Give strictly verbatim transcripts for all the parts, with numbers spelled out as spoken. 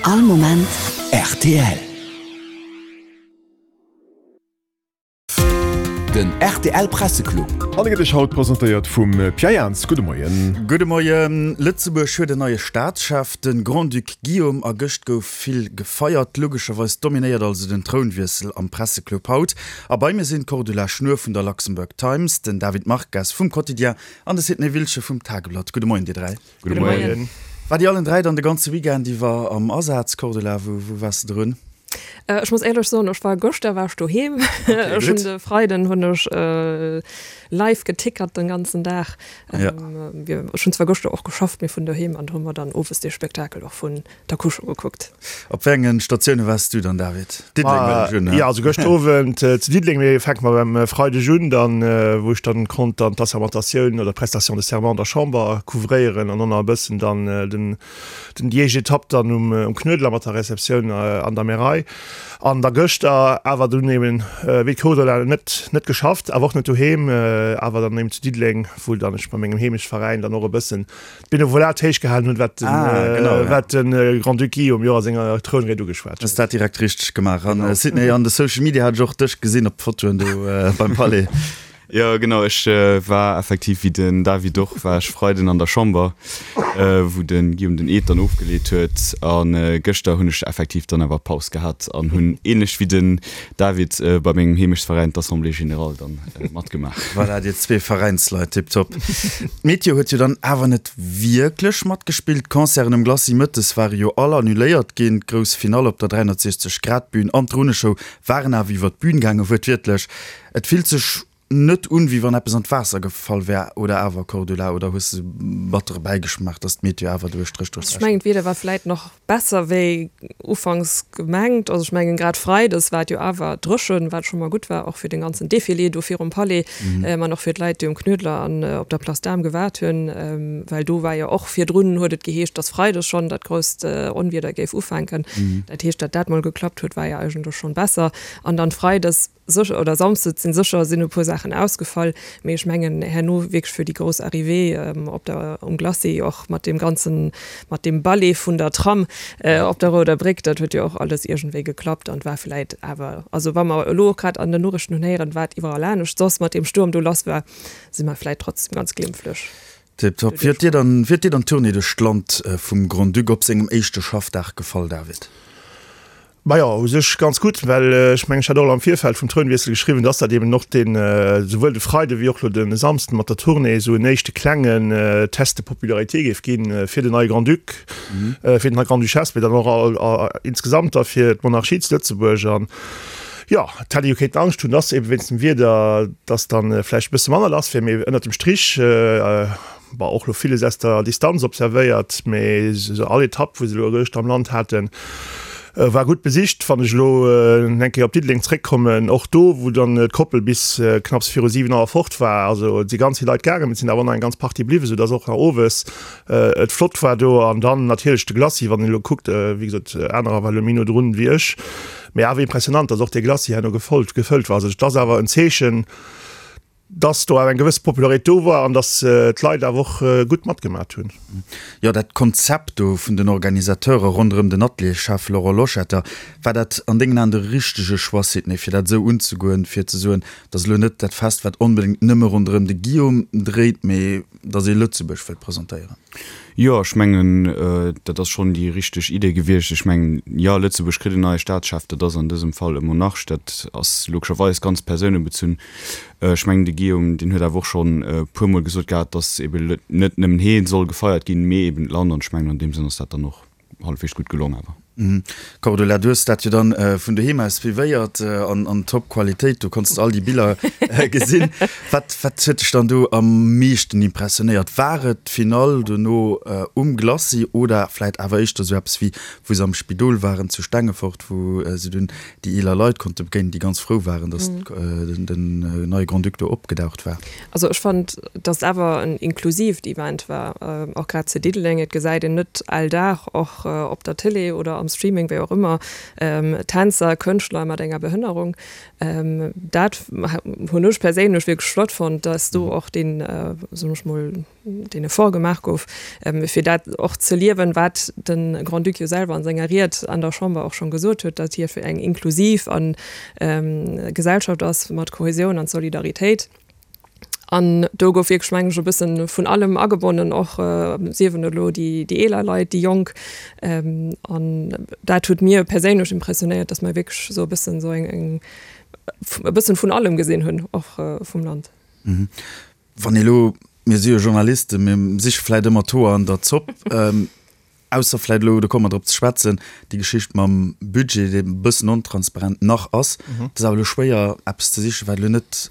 All Moment rtl. Den rtl Presseclub. An e gëtt Iech haut presentéiert vum Pierre Jans. Gudde Moien. Gudde Moien. Lëtzebuerg huet en neie Staatschef, de Grand-Duc Guillaume, a gëscht gouf vill gefeiert. Logescherweis dominéiert also den Trounwiessel am Presseclub haut. A bei mir sinn d'Cordula Schnuer vun der Luxembourg Times, den David Marques vum Quotidien an de Sidney Wiltgen vum Tageblatt. Gudde Moien, dir dräi. Gudde Moien. Waart dir allen dräi dann de ganze Weekend iwwer am Asaz, Cordula? Wou, wou waars de drun? Äh, ech muss éierlech soen, ech war gëschter war ech doheem. Okay, Ech hunn gutt. de Freiden hunn ech äh, live getickert den ganzen Dag. Ja. Ähm, wir, ech hunn zwar gëschter och geschafft, mee vun doheem an hu mer dann owes de Spektakel och vun der Couche gekuckt. Op wéi engen Statioune waars du dann, David? Diddeleng Ah, huelen ech un, ne? ja, also gëscht Owend äh, zu Diddeleng, mee fänke mer beim äh, Freideg un, dann äh, wou ech dann konnt dann d'Assermentatioun oder d'Prestation de serment an der Chamber couvréieren an dann nach e bëssen dann äh, den den déi éischt Etapp dann um, um Knuedler mat der Receptioun äh, an der Märei. An da gëschter awer dunn eben äh, wéi d'Cordula net net geschafft, awer och net doheem, äh, awer dann eben zu Diddeleng, wou dann ech bei mengem Heemechtsveräin dann och e bëssen d'Benevolat héich gehalen hunn, wat den, Ah, äh, genau, ja. wat den äh, Grand-Duc Guillaume jo a senger Trounried ugeschwat Hues huet. dat direkt richteg gemaach. An Genau. äh, Sidney, an de Social Media hat ech och dech gesinn op Fotoen do äh, beim Palais. Jo genau, ech war effektiv wéi den David och, war ech Freiden an der Chamber, wou den Guillaume den Eed dann ofgeleet huet an gëschter hunn ech effektiv dann awer Paus gehat an hunn ähnlech wéi den David bei mengem Heemechtsveräin d'Assemblée générale dann matgemaach. Voilà, dir zwee Veräinsleit, tiptop. D'Meteo huet jo dann awer net wierklech matgespillt, d'Concerten um Glacis mëttes ware jo all annuléiert ginn, d'grouss Finall op der dräihonnertsechzeg Grad Bühn an d'Runneshow waren awer iwwer d'Bühn gaangen, wuertwiertlech. Et fillt sech net un, wéi wann eppes an d'Waasser gefall wär, oder awer, Cordula, oder hues de battere Bäigeschmaach, dass d'Meteo awer do e Stréch duerch Ech d'Rechnung mengen, d'Wieder war vläit nach besser wéi ufanks gemengt. Also ech mengen, grad freides war et jo awer dréchen, wat scho mol gutt war, och fir den ganzen Defilé do virum Palais, an och fir d'Leit, déi um Knuedler an op der Place d'Armes gewaart hunn, well do war jo och virdrun, huet et geheescht, dass freides schonn dat grousst Onwieder géif ufänken. Dat heescht, datt dat mol geklappt huet, war jo eigentlech schonn besser. An dann freides sécher, oder samsdes sinn sécher sinn e puer Saachen ausgefall, mee ech mengen herno wierklech fir déi grouss Arrivée op der, um Glacis och mat deem ganzen, mat deem Ballet vun der Tram op der Rouder Bréck, dat huet jo och alles iergendwéi geklappt an war vläit awer, also wa mer elo och grad an den Noriichten hunn héieren, wat iwwerall anescht soss mat deem Stuerm do lass war, si mer vläit trotzdem ganz glimpflech Tiptop. Wéi huet dir dann, wéi huet dir dann d'Tournée duerch d'Land vum Grand-Duc op sengem éischte Schaffdag gefall, David? Majo, u sech ganz gutt, well ech mengen, ech hat och am Virfeld vum Trounwiessel geschriwwen, dass dat eben och deen, souwuel de Freide wéi och elo de Samsden mat der Tournée esou en éischte klengen Test de popularité géif ginn fir den neie Grand-Duc, fir den Grande-Duchesse, mee dann och insgesamt da fir d'Monarchie zu Lëtzebuerg. An jo, et hätt ee jo kéinten Angscht hunn, dass eben wéinst dem Wieder, dass dann vläicht e bësse manner lass wier, mee ënnert dem Strich, Bon, och lo villes aus der Distanz observéiert, mee sou all Etapp, wou se elo eréischt am Land haten, war gutt besicht. Wann ech elo eng Kéier op Diddeleng zréckkommen, och do, wou dann d'Koppel bis knapps viru siwen Auer fort war, also et si ganz vill Leit gaangen, mee et sinn awer nach eng ganz Partie bliwwen, soudass och nach owes et flott war do. An dann natierlech de Glacis, wann een elo kuckt, wéi gesot, anerer ware elo méi no drun wéi ech, mee awer impressionant, dass och dee Glacis herno gefollt, gefëllt war. Also et ass awer en Zeechen, dass do awer eng gewëss Popularitéit do war an dass d'Leit awer och gutt matgemat hunn. Jo, dat Konzept do vun den Organisateure ronderëm den Atelierschef Laurent Loschetter, war dat an dengen Aen de richtege Choix, Sidney, fir dat esou unzegoen, fir ze soen, dat ass elo net dat Fest, wat onbedéngt nëmme ronderëm de Guillaume dréit, mee dass ee Lëtzebuerg wëllt presentéieren? Jo, ech mengen, dat ass schonn déi richteg Idee gewiescht. Ech mengen, jo, Lëtzebuerg kritt en neie Staatschef, dat ass an dësem Fall e Monarch, dat ass logescherweis ganz persounebezunn. Ech mengen, de Guillaume, deen huet awer och schonn e puermol gesot gehat, datt ebe net nëmmen hee soll gefeiert ginn, mee eben d'Land. An ech mengen, an deem Sënn ass dat dann och hallefweegs gutt gelong awer. Cordula, du hues dat jo dann vun doheem aus suivéiert an an top Qualitéit, du konns all déi Biller gesinn. Wat wat huet dech dann do am meeschten impressionéiert? War et d'Finall dono um Glacis oder vläit awer éischter esou eppes wéi wou se am Spidol waren zu Stengefort, wou se dunn déi eeler Leit konnte begéinen, déi ganz frou waren, datt den neie Grand-Duc do opgedaucht war? Also ech fand, datt awer en inklusiivt Event war, och grad zu Diddeleng. Et gesäit een net all Dag, och op der Télé oder am am Streaming, wéi och ëmmer, Tänzer, Kënschtler mat enger Behënnerung. Dat hunn ech perséinlech wierklech flott fonnt, dass do och deen, soen ech mol, deen Effort gemaach gouf, fir dat och ze liewen, wat de Grand-Duc jo selwer an senger Ried an der Chamber och schonn gesot huet, datt hie fir eng inklusiv an Gesellschaft ass mat Kohäsioun an Solidaritéit. An do gouf wierklech, mengen ech, e bëssen vun allem agebonnen, och siewen elo déi eeler Leit, déi Jonk. An dat huet mir perséinlech impressionéiert, datt mer wierklech esou e bëssen esou eng, e bëssen vun allem gesinn hunn, och vum Land. Wann ee lo, mir si jo Journalisten, mir siche vläit ëmmer d'Hoer an der Zopp, ausser vläit elo, do komme mer drop ze schwätzen, déi Geschicht mam Budget, dee e bëssen ontransparent nach ass. Et ass awer elo schwéier, eppes ze sichen, wat elo net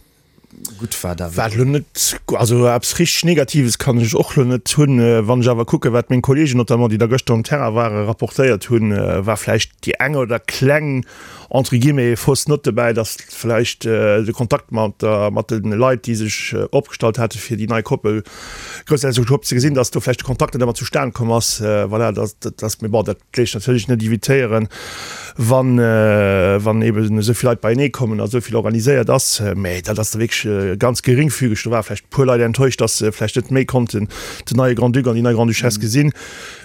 gutt war, David. Wat elo net, also eppes richteg Negatives kann ech och elo net hunn. Wann ech awer kucken, wat meng Kollegen notamment, déi da gëschter um Terrain waren, rapportéiert hunn, war vläicht déi eng oder kleng, entre guillemets, fausse note dobäi, dass vläicht de Kontakt mat der, mat de Leit, déi sech opgestallt hate fir déi nei Koppel Groussherzogtum ze gesinn, dass do vläicht de Kontakt net ëmmer zustan komm ass. Voilà, dass, dass, mee bon, dat léisst natierlech net evitéieren, wann, wann eeben esou vill Leit beienee kommen a esou vill organiséiert ass. Mä dat ass da wierklech ganz geringfügeg. Do ware vläicht e puer Leit enttäuscht, dass se vläicht net méi konnten den neie Grand-Duc an déi nei Grande-Duchesse gesinn.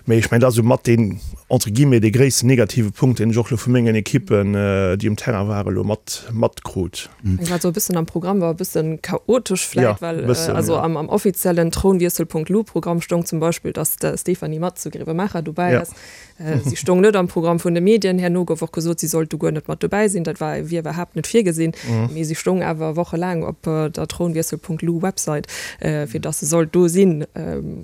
Mä ech mengen, dat ass esou mat deen, entre guillemets, dee gréissten negative Punkt, deen ech och elo vu mengen Ekippen, déi um Terrain waren, elo mat, matkrut. Ech war esou e bëssen am Programm war e bëssen chaotesch vläit, well also am, am offiziellen Thronwiessel.lu-Programm stoung zum Beispill, dass d'Stéphanie Matz zu Grevenmacher dobäi ass. Si stoung net am Programm vun de Medien. Herno gouf och gesot, si sollt do guer net mat dobäi sinn. Dat war, wier iwwerhaapt net virgesinn. Mee si stoung awer wochelaang op der Thronwiessel.lu-Website, fir datt se sollt do sinn.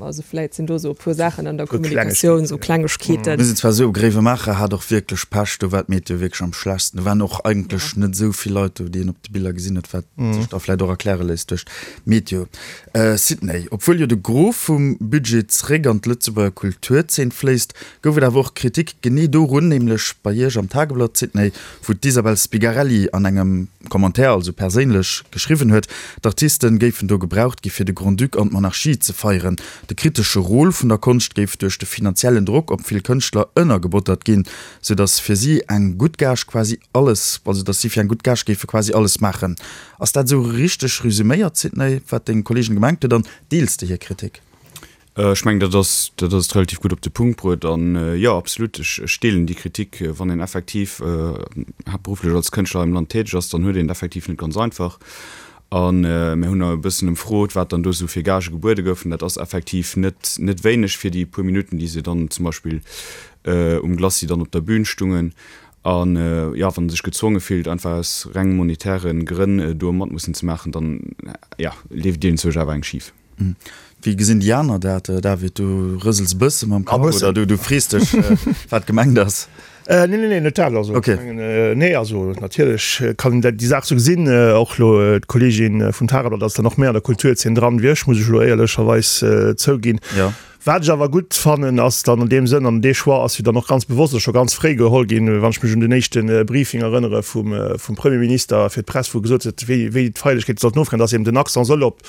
Also vläit sinn do esou e puer Saachen an der Kommunikatioun, esou Klengegkeeten. Mir sinn zwar esou, Gréiwemaacher hat och wierklech Pech, do war d'Meteo wierklech am schlechtsten. Do waren och eigentlech net esou vill Leit do, déi een op de Biller gesinn huet, wat sech da vläit och erkläre léisst duerch d'Meteo. Sidney, obwuel jo de Gros vum Budget zeréck an d'Lëtzebuerger Kulturzeen fléisst, gouf et awer och Kritik genee dorun, nämlech bei Iech am Tageblatt, Sidney, wou d'Isabel Spigarelli an engem Commentaire, also perséinlech, geschriwwen huet, d'Artisten géifen do gebraucht gi fir de Grand-Duc an d'Monarchie ze feieren. De kritesche Rôle vun der Konscht géif duerch de finanziellen Drock op vill Kënschtler ënnergebottert ginn, sou datt fir si eng gutt Gage quasi alles, also datt si fir eng gutt Gage géife quasi alles maachen. Ass dat esou richteg resüméiert, Sidney, wat deng Kolleegin gemengt huet, an deels de hir Kritik? Ech mengen, dat ass, dat ass et relativ gutt op de Punkt bruet. An jo, absolut, ech, ech deelen déi Kritik. Wann een effektiv haaptberufflech als Kënschtler hei am Land täteg ass, dann huet een et effektiv net ganz einfach. A mir hunn e bëssen ëmfrot, wat dann do esou fir Gagë gebuede goufen. Dat ass effektiv net, net wéineg fir déi puer Minutten, déi se dann zum Beispill um Glacis dann op der Bün stungen. An jo, wann e sech gezwonge fillt, einfach aus reng monetäre Grënn do mat mussen ze maachen, dann, jo, leeft iergendzwousch awer eng schif. Wéi gesinn déi aner dat, David? Du rësels e bësse mam Kapp oder du frees dech, wat gemengt ass? Nee, nee, nee, net dat. Also, ech mengen, nee, also natierlech kann een dat, déi Saach esou gesinn. Och elo d'Kolleegin vum Tageblatt ass dann och méi an der Kulturzeen dran wéi ech, muss ech elo éierlecherweis zouginn. Wat ech awer gutt fannen, ass dann an deem Sënn, an dee Choix ass jo dann och ganz bewosst a scho ganz fréi geholl ginn, wann ech mech un den éischte Briefing erënnere vum, vum Premierminister fir d'Press, wou e gesot huet, wéi, wéi d'Feierlechkeete sollten ofgehen, dass eben den Accent soll op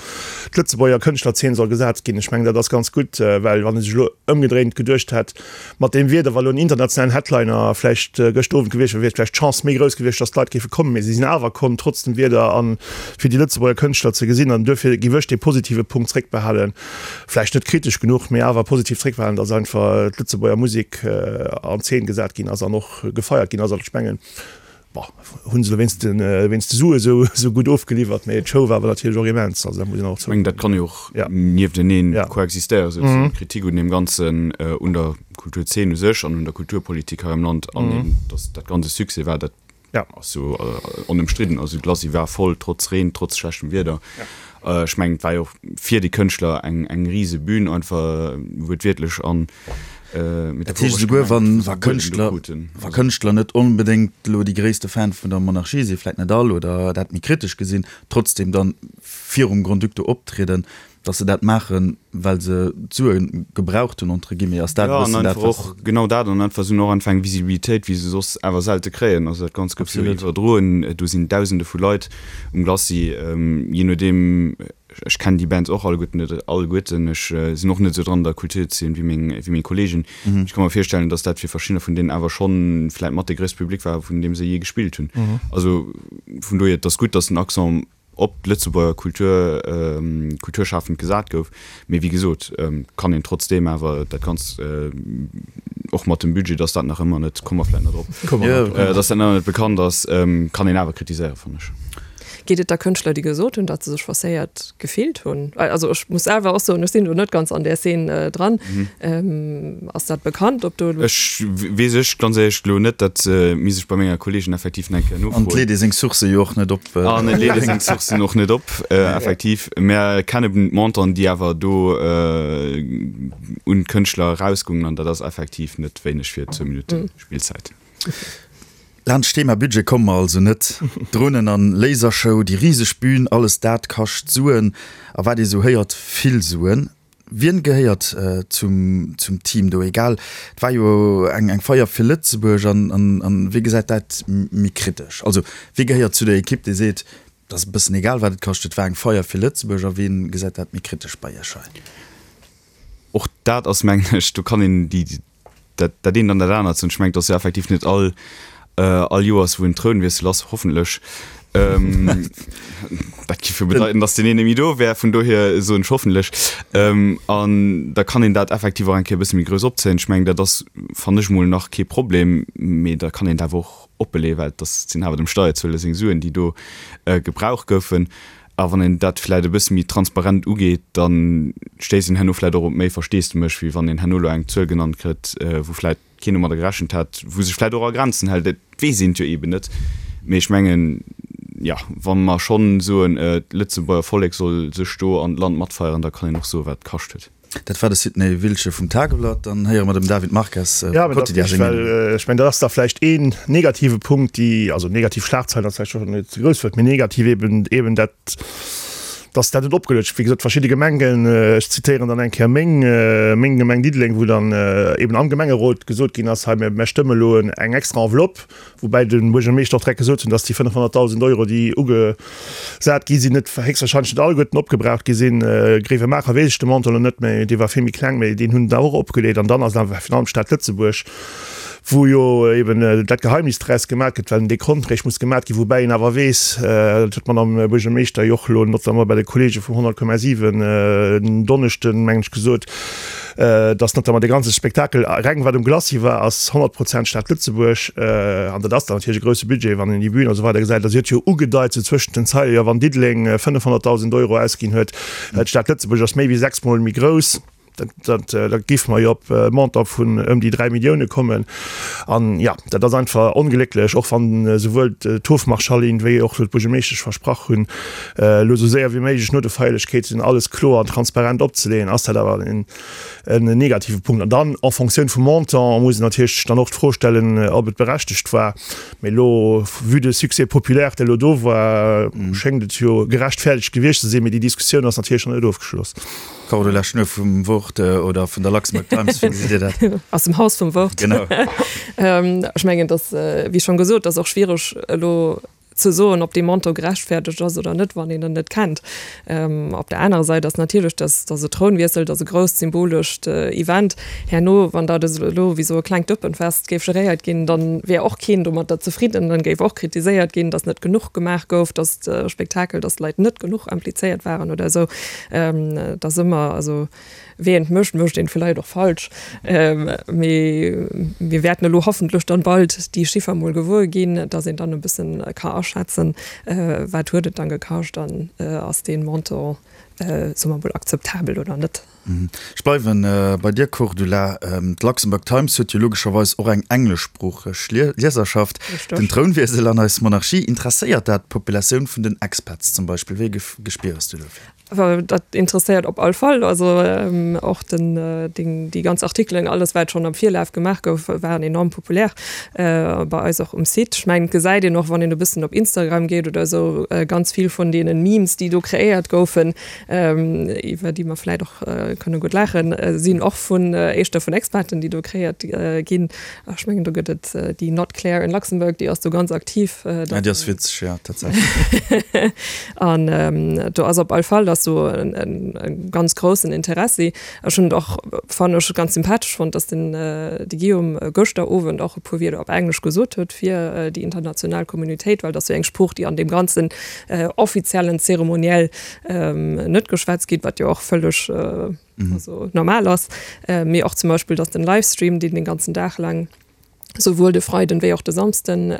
d'Lëtzebuerger Kënschtlerzeen soll gesat ginn. Ech mengen, dat ass ganz gutt, well wann ee sech elo ëmgedréint geduecht hätt, mat deem Wieder, wa elo en internationalen Headliner vläicht gëscht Owend gewiescht wier, wier vläicht d'Chance méi grouss gewiescht, dass d'Leit géife kommen. Mee si sinn awer komm, trotz dem Wieder a fir déi Lëtzebuerger Kënschtler ze gesinn. An duerfir géif ech dee positive Punkt zréckbehalen. Vläicht net kritesch genuch, mee awer positiv zréckbehalen, dass einfach d'Lëtzebuerger Musek an Zeen gesat ginn ass an och gefeiert ginn ass. An ech mengen, bon, hu se elo wéinst de, wéinst de Sue esou, esou gutt ofgeliwwert, mee d'Show war awer natierlech och immens, also dat muss een och Ech mengen, dat kann jo och niefteneen koexistéieren, souzesoen, d'Kritik un deem Ganzen, un der Kulturzeen u sech an un der Kulturpolitik hei am Land an eben, dass dat Ganzt e Succès war, dat ass jo onëmstridden. Also d'Glacis war voll, trotz Reen, trotz schlechtem Wieder. Ech mengen, et war jo och fir déi Kënschtler eng, eng rise Bühn einfach, wuertwiertlech an Dat heescht esouguer wann wa Kënschtler, wa Kënschtler net onbedéngt elo déi gréisste Fan vun der Monarchie sinn, vläit net all, oder dat méi kritesch gesinn, trotzdem dann virum Grand-Duc do optrieden, datt se dat maachen, well se d'Sue gebraucht hunn, entre guillemets. Ass dat e bëssen dat, wat. Ja, an einfach och genau dat, an einfach se hunn och einfach eng Visibilitéit, wéi se soss awer selte kréien. Also dat Ganzt gouf jo iwwerdroen, do sinn Dausende vu Leit um Glacis, jee nodeem, ech kennen déi Bands och alleguerten net alleguerten, ech sinn och net esou dran an der Kulturzeen wéi meng wéi meng Kollegen. Ech ka mer virstellen, datt dat fir verschiddener vun deenen awer schonn vläit mat dee gréisste Public war, vun deem se jee gespillt hunn. Also vun dohier, et ass gutt, datt den Accent op d'Lëtzebuerger Kultur, kulturschafend gesat gouf. Mee wéi gesot, kann een trotzdeem awer dat Ganzt, och mat dem Budget, datt dat nach ëmmer net, komme mer vläit nach drop, datt dat nach ëmmer net bekannt ass, kann een awer kritiséieren, fannen ech. Geet et da Kënschtler, déi gesot hunn, datt se sech forcéiert gefillt hunn? Also ech muss selwer och soen, ech sinn do net ganz an där Szen dran. Ass dat bekannt, ob do elo. Ech weess ech ganz éierlech elo net, dat misst ech bei menger Kolleegen effektiv nach eng Kéier nofroen. An et leet ee seng Sourcë jo och net op. An et leet ee seng Sourcen och net op, effektiv. Mä kennen d'Montanten, déi awer do un d'Kënschtler erausgoungen, an dat ass effektiv net wéineg fir zwou Minutte Spillzäit. Laanscht d'Thema Budget komme mer also net. Dronen an Lasershow, déi riseg Bühn, alles dat kascht Suen. A wat ee sou héiert, vill Suen. Wien gehéiert zum zum Team do? Egal, et war jo eng eng Feier fir Lëtzebuerg an an an wie gesäit dat méi kritesch? Also wie gehéiert zu der Ekipp déi seet, et ass e bëssen egal wat et kascht, et war eng Feier fir Lëtzebuerg a wien gesäit dat méi kritesch bei Iech hei? Och dat ass mengen ech, do kann een déi dat dat eent an dat anert soen. Ech mengen, et ass jo effektiv net all all Joers, wou en Trounwiessel ass, hoffentlech. Dat géif jo bedeiten, datt deen een net méi do wär, vun dohier soen ech hoffentlech. An da kann een dat effektiv och eng Kéier e bësse méi grouss opzéien. Ech mengen, dat ass, fannen ech mol, nach kee Problem, mee da kann een dat awer och oppeleeën, well et ass, sinn awer dem Steierzueler seng Suen, déi do gebraucht goufen. A wann een dat vläicht e bësse méi transparent ugeet, da stéisst een herno vläicht och op méi Versteesdemech, wéi wann een herno elo eng Zuel genannt kritt, wou vläicht keen domadder gerechent hat, wou sech vläicht och a Grenzen hält. Dat weess een jo eeben net. Mee ech mengen, jo, wa mer schonn soen, d'Lëtzebuerger Vollek soll sech do an d'Land matfeieren, da kann een och soen, wat et kascht huet. Dat war de Sidney Wiltgen vum Tageblatt. Dann héiere mer dem David Marques vum Quotidien seng Meenung. Ech mengen, dat ass da vläicht een negative Punkt, déi, also negativ Schlagzeilen ass vläicht och net ze grouss Wuert, mee negativ eben, eben dat, dass dat net opgeluecht gëtt. Wéi gesot, verschidde Gemengen, ech zitéieren dann eng Kéier meng, meng Gemeng Diddeleng, wou dann eben am Gemengerot gesot ginn ass, hei mir stëmme elo eng extra Enveloppe, Woubäi de Buergermeeschter och direkt gesot hunn, datt déi fënnefhonnertdausend Euro, déi ugesat gi sinn, net héchstwahrscheinlech net alleguerten opgebraucht gi sinn. Gréiwemaacher weess ech de Montant elo net méi, dee war vill méi kleng, mä deen hunn se och opgeleet. An dann ass et awer virun allem d'Stad Lëtzebuerg, wou jo eben dat Geheimnis draus gemaat gëtt, well en Dekont réischt muss gemaat ginn, woubäi een awer weess, dat huet d'Madame Buergermeeschter jo och elo notamment bei de Kollege vum honnert Komma siwen en Donneschden, mengen ech, gesot, dass notamment dee ganze Spektakel, reng wat um Glacis war, ass honnert Prozent Stad Lëtzebuerg. An dat ass dann natierlech e grousse Budget, wann een déi Bühn a sou weider gesäit. A si huet jo ugedeit, sou zwëschent den Zeile, jo wann Diddeleng fënnefhonnertdausend Euro ausginn huet, d'Stad Lëtzebuerg ass méi wéi sechsmol méi grouss, dat, da géife mer jo op e Montant vun ëm déi dräi Millioune kommen. An jo, dat ass einfach onglécklech, och wann esouwuel d'Hofmarschallin wéi och d'Buergermeeschtesch versprach hunn, elo sou séier wéi méiglech no de Feierlechkeeten alles kloer an transparent opzeleeën, ass dat awer en en negative Punkt. An dann en Fonctioun vum Montant muss een natierlech dann och d'Fro stellen, ob et berechtegt war. Mee elo, vue de Succès populaire, dee elo do war, schéngt et jo gerechtfertegt gewiescht ze sinn. Mee déi Diskussioun ass natierlech nach net ofgeschloss. Cordula Schnuer vum Wort oder vun der Luxembourg Times, wéi gesitt Dir dat? Aus dem Haus vum Wort. Genau. Ech mengen, dass, wéi schonn gesot, dass och schwiereg elo ze soen, ob dee Montant gerechtfertegt ass oder net, wann een en net kennt. Op der anerer Säit ass natierlech, dass, dass e Trounwiessel, dass e grousst symbolescht Event herno, wann dat elo wéi esou e klengt Dëppenfest géif geréiert ginn, dann wär och keen domatter zefridden, dann géif och kritiséiert ginn, dass net genuch gemaach gouf, dass de Spektakel, dass d'Leit net genuch implizéiert waren oder esou. Et ass ëmmer, also Wee een et mécht, mécht een et vläicht och falsch. Mee mir wäerten elo hoffentlech dann bald déi Chiffer mol gewuer ginn, dass een dann e bëssen ka aschätzen, wat huet et dann gekascht an ass dee Montant, soe mer mol, akzeptabel oder net. Ech bleiwen bei dir, Cordula. D'Luxembourg Times huet jo logescherweis och eng engleschsproocheg Lieserschaft. Den Trounwiessel an eis Monarchie, interesséiert dat d'Populatioun vun den Expats zum Beispill? Wéi e Gespier hues du dofir? Dat interesséiert op all Fall. Also och den, déi ganz Artikelen, alles wat schonn am Virlaf gemaach gouf, waren enorm populär bei eis och um Site. Ech mengen, et gesäit een och, wann een e bëssen op Instagram geet oder esou, ganz vill vun deene Memes, déi do kreéiert goufen, iwwer déi mer vläit och kënne gutt laachen, sinn och vun éischter vun Expaten, déi do kreéiert ginn. Ech mengen, do gëtt et déi Not Claire in Luxembourg, déi ass do ganz aktiv. Ja, déi ass witzeg, ja, tatsächlech. An do ass op all Fall ass do e ganz groussen Interessi. Ech hunn et och, fannen ech, ganz sympathesch fonnt, dass den de Guillaume gëschter Owend och e puer Wierder op Englesch gesot huet fir déi international Communautéit, well dat ass jo eng Sprooch, déi an deem ganzen offiziellen Zeremoniell net geschwätzt gétt, wat jo och vëlleg also normal ass. Mee och zum Beispill, dass den Livestream, deen den ganzen Dag laang souwuel de Freiden wéi och de Samsden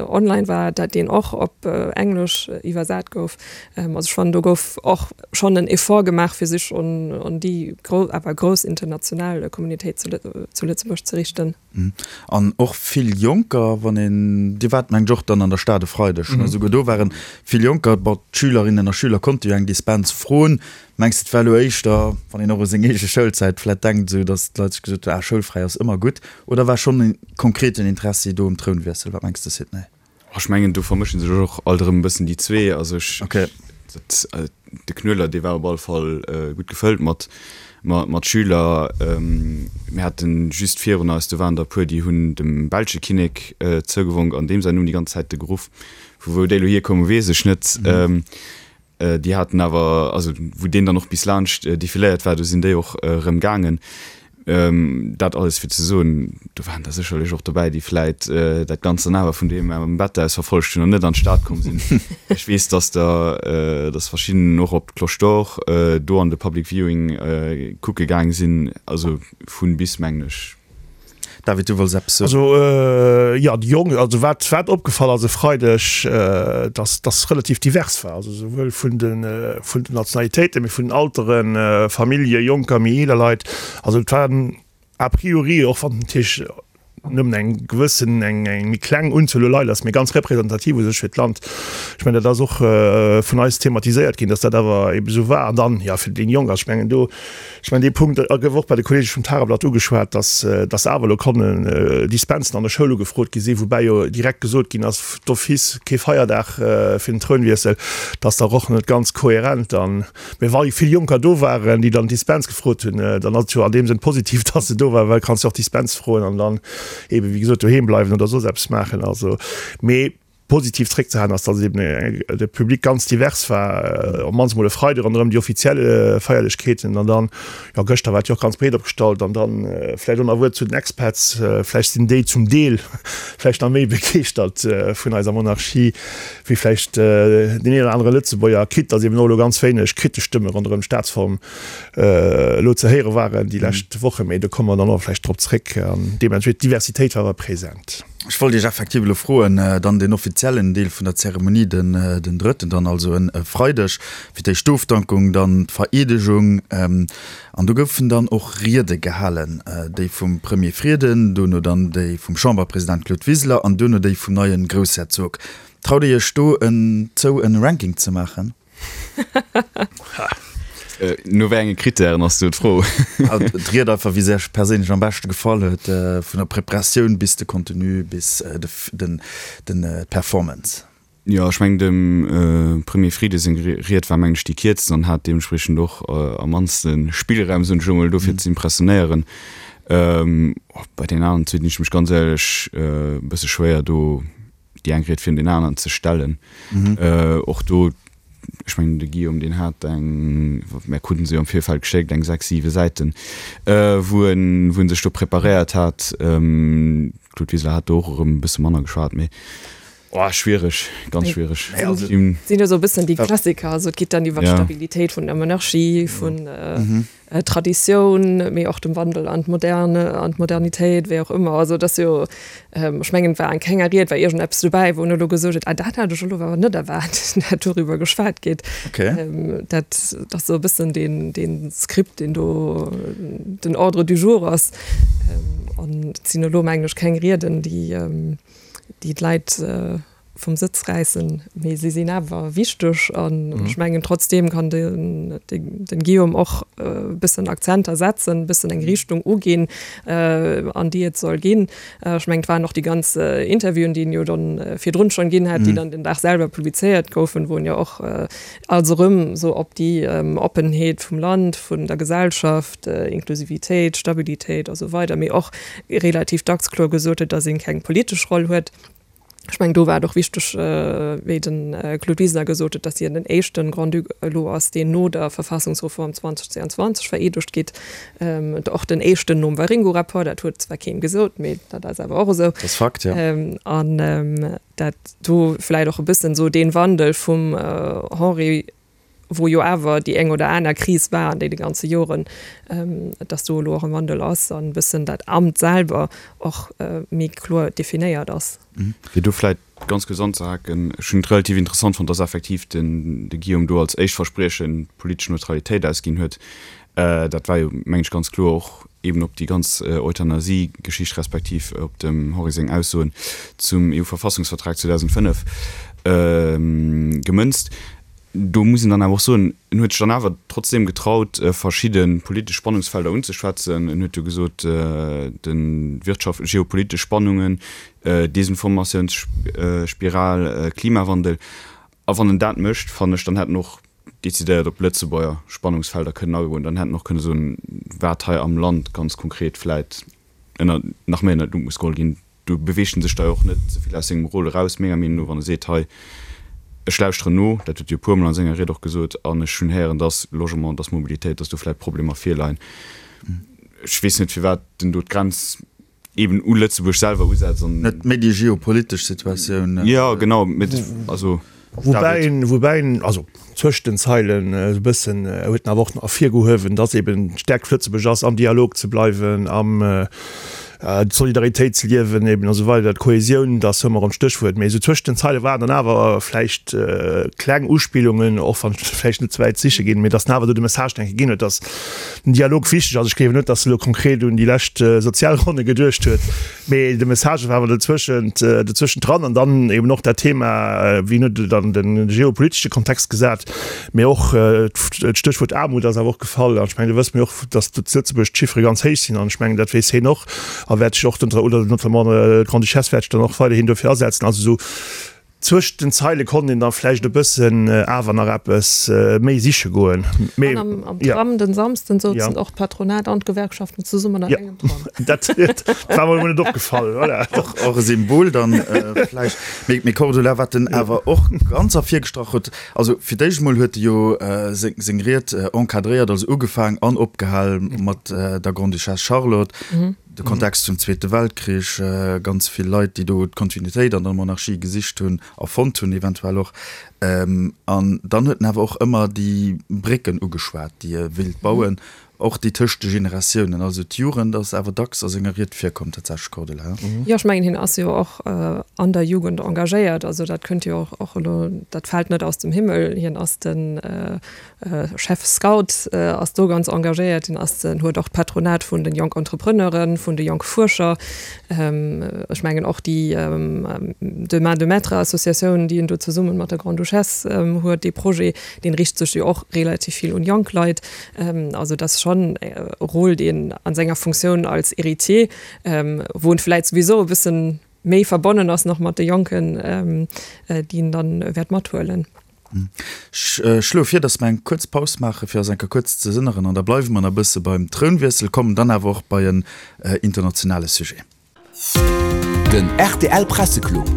online war, dat deen och op Englesch iwwersat gouf. Also ech fannen, do gouf och schonn en Effort gemaach, fir sech un un déi gro awer grouss international Communautéit zu zu Lëtzebuerg ze richten. An och vill Jonker, wann een, Dir waart mengen ech och dann an der Stad e Freideg, ne? Esouguer do waren vill Jonker, bon, d'Schülerinnen a Schüler konnte jo eng Dispens froen. Mengs de, et war elo éischter, wann een och u seng eege Schoulzäit vläit denkt, esou datt d'Leit sech gesot hunn, ah, schoulfräi ass ëmmer gutt, oder war schonn e konkreten Interessi do um Trounwiessel? Wat mengs de, Sidney? Ech mengen, do vermësche sech och alt erëm e bëssen déi zwee. Also ech, dat, de Knuedler, dee war op alle Fall gutt gefëllt mat, mat Schüler. Mir haten just virun eis, do waren der e puer, déi hunn dem belsche Kinnek zougewonk an deem säin Numm déi ganz Zäite geruff. Vu wou déi elo hierkoumen, weess ech net. Déi haten awer, also wou deen dann och bis laanscht defiléiert war, do sinn déi och erëm gaangen. Dat alles fir ze soen, do waren der sécherlech och dobäi, déi vläit dat Ganzt dann awer vun doheem am Bett aus verfollegt hunn an net an d'Stad komm sinn. Ech weess, dass der, dass verschidden och op d'Cloche d'Or do an de Public Viewing kucke gaang sinn, also vun bis, mengen ech. David, du wollts eppes soen? Also, jo, déi Jonk, also wat, wat opgefall ass e Freideg, dass dass relativ divers war, also souwuel vun de, vun den Nationalitéiten, mee vun den Alteren, Famillje, Jonker, méi eeler Leit. Also et waren a priori, och wann natierlech nëmmen eng gewëssen, eng, eng méi kleng Unzuel u Leit ass, mee ganz representativ u sech fir d'Land. Ech mengen, dat ass och vun eis thematiséiert ginn, dass dat awer eebe sou war. An dann, jo, fir déi Jonk, also ech mengen do, Ech mengen, dee Punkt gouf och bei de Kolleege vum Tageblatt ugeschwat, dass, dass awer elo konnen Dispensen an der Schoul ugefrot gi sinn, woubäi jo direkt gesot ginn ass, d'office kee Feierdag fir den Trounwiessel. Dat ass dach och net ganz kohärent dann. Mee wa vill Jonker do waren, déi dann Dispens gefrot hunn, dann ass et jo an deem Sënn positiv, dass se do waren, well kanns jo och Dispens froen an dann eebe wéi gesot doheem bleiwen oder soss eppes maachen. Also, mee. Positiv zréckzehalen ass, dass eben de Public ganz divers war, op d'mannst emol e Freide ronderëm déi offiziell Feierlechkeeten an dann, jo, gëschter war et jo och ganz breet opgestallt an dann vläicht och nach e Wuert zu den Expats, vläicht sinn déi zum Deel vläicht nach méi begeeschtert vun eiser Monarchie wéi vläicht deen een oder anere Lëtzebuerger, quitte dass eben och elo ganz wéineg kritesch Stëmme ronderëm d'Staatsform elo ze héiere waren déi lescht Wochen, mee do komme mer dann och vläicht drop zréck an deementspriechend d'Diversitéit war awer present. Ech wollt Iech effektiv elo froen, dann deen offiziellen Deel vun der Zeremonie, den den drëtten dann, also e Freideg, fir d'éischt d'Ofdankung, dann d'Vereedegung. An do goufen dann och Riede gehalen, déi vum Premier Frieden, dono dann déi vum Chamberpresident Claude Wiseler an duerno déi vum neie Groussherzog. Traut Dir Iech do en zou en Ranking ze maachen? No wéi enge Krittären ass do d'Fro? D'Ried einfach, wéi se Iech perséinlech am beschte gefall huet, vun der Preparatioun bis de Contenu bis den d'Performance. Jo, ech mengen dem Premier Frieden seng Ried war mengen ech déi kierzten an hat deementspriechend och am mannste Spillraum, soen ech elo mol, do fir ze impressionéieren. Bei deenen aneren zwee dinn ech mech ganz éierlech e bësse schwéier do déi eng Ried virun deen aneren ze stellen. Och do Ech mengen, de Guillaume, deen hat eng, mär kruten se jo am Virfeld geschéckt, eng sechs, siwe Säiten, wou en, wou en sech do preparéiert hat. D'Claude Wiseler hat do och erëm e bësse manner geschwat, mee, oh, schwiereg, ganz schwiereg. Sinn jo esou e bëssen déi Klassiker, also et geet dann iwwer d'Stabilitéit vun der Monarchie, vun Traditioun, mee och dem Wandel an d'Moderne, an d'Modernitéit, wéi och ëmmer. Also et ass jo, ech mengen, et war an kenger Ried war iergendeppes dobäi, wou en elo gesot huet, ah dat hat ech elo awer net erwaart, dat doriwwer geschwat gétt. Dat ass esou e bëssen deen, dee Skript, deen do den Ordre du jour ass. An et sinn elo, mengen ech, keng Rieden, déi, déi d'Leit vum Sëtz räissen, mee si sinn awer wichteg an ech mengen trotzdeem kann den den Guillaume och e bëssen Akzenter setzen, e bëssen eng Richtung uginn, an déi et soll ginn. Ech mengen et waren och déi ganz Interviewen, déi en jo dann virdrun schonn ginn hat, déi dann den Dag selwer publizéiert goufen, wou en jo och als erëm esou op déi Oppenheet vum Land, vun der Gesellschaft, Inklusivitéit, Stabilitéit a sou weider, mee och relativ dacks kloer gesot huet, datt een keng politesch Roll huet. Ech mengen, do war et och wichteg, wéi de Claude Wiseler gesot huet, datt hien den éischte Grand-Duc elo ass, deen no der Verfassungsreform zweitausendzweiundzwanzeg vereedegt gétt. Och den éischten nom Waringo-Rapport, dat huet zwar keen gesot, mee dat ass awer och esou. Dat ass Fakt, jo. An dat do vläicht och e bëssen esou dee Wandel vum Henri, wou jo awer déi eng oder aner Kris war an deene ganze Joren, dass do elo och e Wandel ass an e bëssen dat Amt selwer och méi kloer definéiert ass. Fir do vläicht ganz kuerz anzehaken, Ech hunn et relativ interessant fonnt, dass effektiv den de Guillaume do als éischt Verspriechen d'politesch Neutralitéit ausginn huet. Dat war jo, mengen ech, ganz kloer och eben op déi ganz Euthanasie-Geschicht respektiv op dem Henri seng Aussoen zum EU-Verfassungsvertrag zweedausendfënnef gemënzt. Do muss een dann awer och soen, en huet sech dann awer trotzdeem getraut, verschidde politesch Spannungsfelder unzeschwätzen. En huet jo gesot, de Wirtschaft-, geopolitesch Spannungen, Desinformatiounsspiral, Klimawandel. A wann en dat mécht, fannen ech, dann hätt en och decidéiert op Lëtzebuerger Spannungsfelder kënnen agoen. Dann hätt en och kënne soen, wat hei am Land ganz konkret vläit ënner, nach méi ënner d'Lupp muss geholl ginn. Do beweegt en sech da jo och net ze vill aus sengem Rôle eraus, menger Meenung no, wann e seet, hei, ech lauschteren no, dat huet e jo e puermol a senger Ried och gesot, an ech hunn héieren, dass Logement, dass Mobilitéit, dass do vläicht Problemer virleien. Ech weess net, firwat en do d'Grenz eeben u Lëtzebuerg selwer usetzt an. Net méi déi geopolitesch Situatioun. Jo, genau, mee also. Woubäi en, woubäi en, also zwëscht den Zeilen esou e bëssen, huet en awer och ervirgehuewen, dass eeben d'Stärkt vu Lëtzebuerg ass, am Dialog ze bleiwen, am d'Solidaritéit ze liewen eben a sou weider, d'Kohesioun, dat ass ëmmer erëm d'Stéchwuert. Mee esou zwëscht den Zeile waren dann awer vläicht kleng Uspillungen, och wann ech vläicht net ze wäit siche ginn, mee dass en awer do de Message denke ginn huet, dass den Dialog wichteg ass. Ech gleewen net, dass e elo konkret un déi lescht Sozialronne geduecht huet, mee de Message war awer dozwëschent, dozwëschent dran. An dann eben och dat Thema, wien huet dann de geopolitesche Kontext gesat, mee och d'Stéchwuert Aarmut ass awer och gefall. An ech mengen, do wësse mir och, dass zu Lëtzebuerg d'Chiffere ganz héich sinn. An ech mengen, dat weess hien och a wäert sech och, oder notamment d'Grande-Duchesse wäert sech dann och weiderhin dofir asetzen. Also esou zwëscht den Zeile konnt een da vläicht e bëssen awer nach eppes méi siche goen. Mee, An am Tram den Samsden souzen och d'Patronat an d'Gewerkschaften zesummen an engem Tram. Dat war mer emol net opgefall, voilà. Och e Symbol dann vläicht. Mee Cordula, wat en awer och ganz ervirgestrach huet, also fir d'éischt emol huet e jo seng Ried encadréiert, also ugefaang an opgehal mat der Grande-Duchesse Charlotte, de Kontext zum Zweete Weltkrich, ganz vill Leit, déi do d'Kontinuitéit an der Monarchie gesicht hunn a fonnt hunn eventuell och. An dann huet en awer och ëmmer déi Brécken ugeschwat, déi e wéilt bauen, och déi tëscht de Generatiounen. Also d'Jugend ass awer dacks a senger Ried virkomm tatsächlech, Cordula. Jo, ech mengen, hien ass jo och an der Jugend engagéiert. Also dat kënnt jo och elo, dat fält net aus dem Himmel. Hien ass de Chef Scout, ass do ganz engagéiert. Hien ass den, huet och d'Patronat vun de jonk Entrepreneuren, vun de jonk Fuerscher. Ech mengen och déi Deux mains deux maîtres Associatioun, déi en do zesumme mat der Grande-Duchesse huet, dee Projet, dee riicht sech jo och relativ vill un jonk Leit. Also dat ass schonn e Rôle, deen a senger Funktioun als Héritier, wou en vläit souwisou e bëssen méi verbonnen ass nach mat de Jonken, déi en dann wäert mathuelen. Ech schloe vir, dass mer eng kuerz Paus maachen, fir eis eng Kéier kuerz ze sënneren, an da bleiwe mer nach e bësse beim Trounwiessel, kommen dann awer och bei en internationale Sujet. Den rtl Presseclub.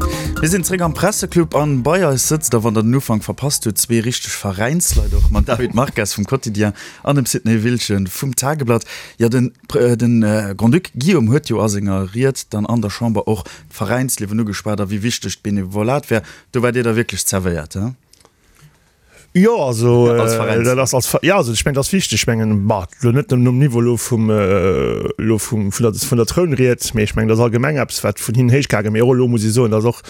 Mir sinn zréck am Presseclub an bei eis sëtzt, a wann der den Ufank verpasst hutt, zwee richteg Veräinsleit och, mam David Marques vum Quotidien an dem Sidney Wiltgen vum Tageblatt. Jo, den den Grand-Duc Guillaume huet jo a senger Ried dann an der Chamber och d'Veräinsliewen ugeschwat a wéi wichteg d'Benevolat wär. Do waart Dir da wierklech zerwéiert, he? Jo, also dat ass als, ja, also ech mengen, dat ass wichteg. Ech mengen, bah, elo net nëmmen um Niveau elo vum, elo vum, vun der, vun der Trounried, mee ech mengen, dat ass allgemeng eppes, wat vun hinnen héichgaangen. Mee och elo muss ee soen, datt och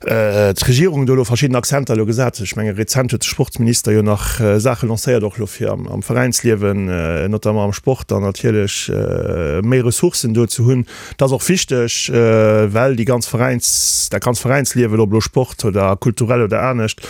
d'Regierung do elo verschidden Accenter elo gesat huet. Ech menge rezent huet de Sportsminister jo nach Saache lancéiert, och elo fir am Veräinsliewen, notamment am Sport, dann natierlech méi Ressourcen do ze hunn. Dat ass och wichteg, well déi ganz Veräins, dat ganz Veräinsliewen, ob elo Sport oder kulturell oder anescht,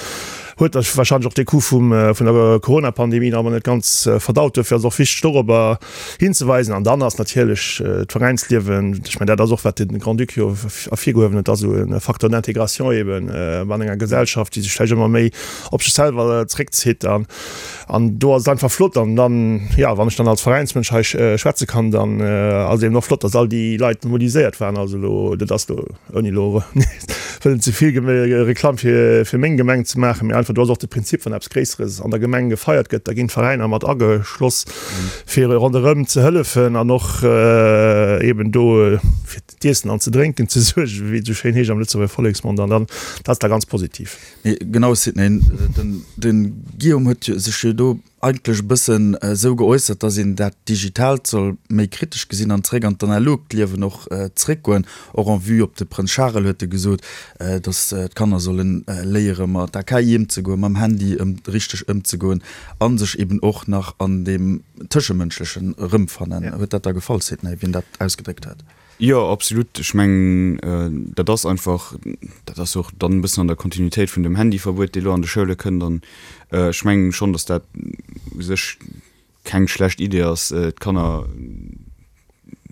huet da wahrscheinlech och dee Coup vum, vun der Corona-Pandemie nach ëmmer net ganz verdaut. Duerfir ass et och wichteg, dorobber hinzeweisen. An dann ass natierlech d'Veräinsliewen, ech mengen, dat ass och, wat de Grand-Duc jo ervirgehuewen huet, ass esou e Facteur d'intégration eben an enger Gesellschaft, déi sech vläicht ëmmer méi op sech selwer zréckzitt. An, an do ass et einfach flott. An dann, jo, wann ech dann als Veräinsmënsch hei schwätze kann, dann ass et eben och flott, dass all déi Leit mobiliséiert waren. Also elo, dat ass elo, ouni elo wëllen ze vill Reklamm fir fir meng Gemeng ze maachen, mee einfach do ass och de Prinzip, wann eppes Gréisseres an der Gemeng gefeiert gëtt, da ginn d'Veräiner mat ageschloss, fir ronderëm ze hëllefen an och eben do fir d'Iessen an ze Drénken ze suergen, wéi et esou schéin heescht am Lëtzebuerger Volleksmond. An dann, dat ass da ganz positiv. Mee genau, Sidney, den den Guillaume huet sech jo do eigentlech e bëssen esou geäussert, dass een dat Digitaalt soll méi kritesch gesinn an zréck an d'analogt Liewen och zréckgoen. Och en vue op de Prënz Charel huet e gesot, dass d'Kanner solle léiere mat der K I ëmzegoen, mam Handy ëm richteg ëmzegoen a sech eben och nach an deem Tëschemënschlechen erëmfannen. Huet dat der gefall, Sidney, wéi en dat ausgedréckt huet? Jo, absolut. Ech mengen, dat ass einfach, dat ass och dann e bëssen an der Kontinuitéit vun dem Handyverbuet, dee lo an de Schoule kënnt. An ech mengen schonn, datt dat u sech keng schlecht Idee ass, d'Kanner,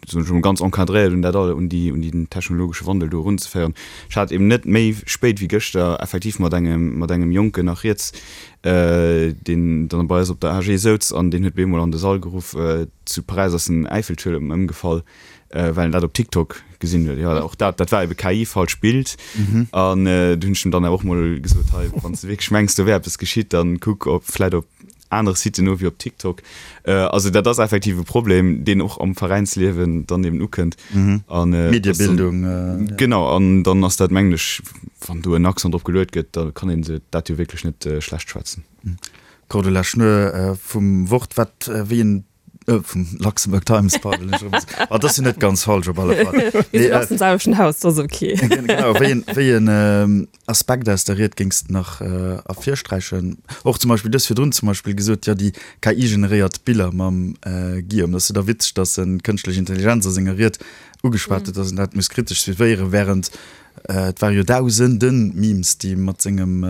soen ech emol, ganz encadréiert un dat all, un déi, un den technologesche Wandel do erunzeféieren. Ech hat eben net méi spéit wéi gëschter effektiv mat engem, mat engem Jonken nach rieds, deen dann bei eis op der A G souz an deen huet bemol an de Sall geruff, zu Paräis ass den Äiffeltuerm ëmgefall. Well en dat op TikTok gesinn huet. Jo, och dat, dat war ebe K I, falscht Bild. An do hunn ech em dann awer och mol gesot, hei, wann s de wierklech mengs, do wär eppes geschitt, dann kuck op vläit op anere Siten no wéi op TikTok. Also dat ass effektiv e Problem, deen och am Veräinsliewen dann eben ukënnt. An Mediebildung. Genau, an dann ass dat, mengen ech, wann do en Accent drop geluet gëtt, da kann een se dat jo wierklech net schlecht schwätzen. Cordula Schnur vum Wort, wat wéi en Vum Luxembourg Times, pardon. Ah, dat ass jo net ganz falsch op alle Fall. Mir sinn aus dem selwechten Haus, dat ass ok. Genau, wéi en, wéi en Aspekt aus der Ried géings de nach ervirsträichen? Och zum Beispill, du hues virdrun zum Beispill gesot, jo, déi K I-generéiert Biller mam Guillaume, dat ass jo da witzeg, datt en d'kënschtlech Intelligenz a senger Ried ugeschwat huet, datt en dat muss kritesch suivéieren, wärend et ware jo dausende Memes, déi mat sengem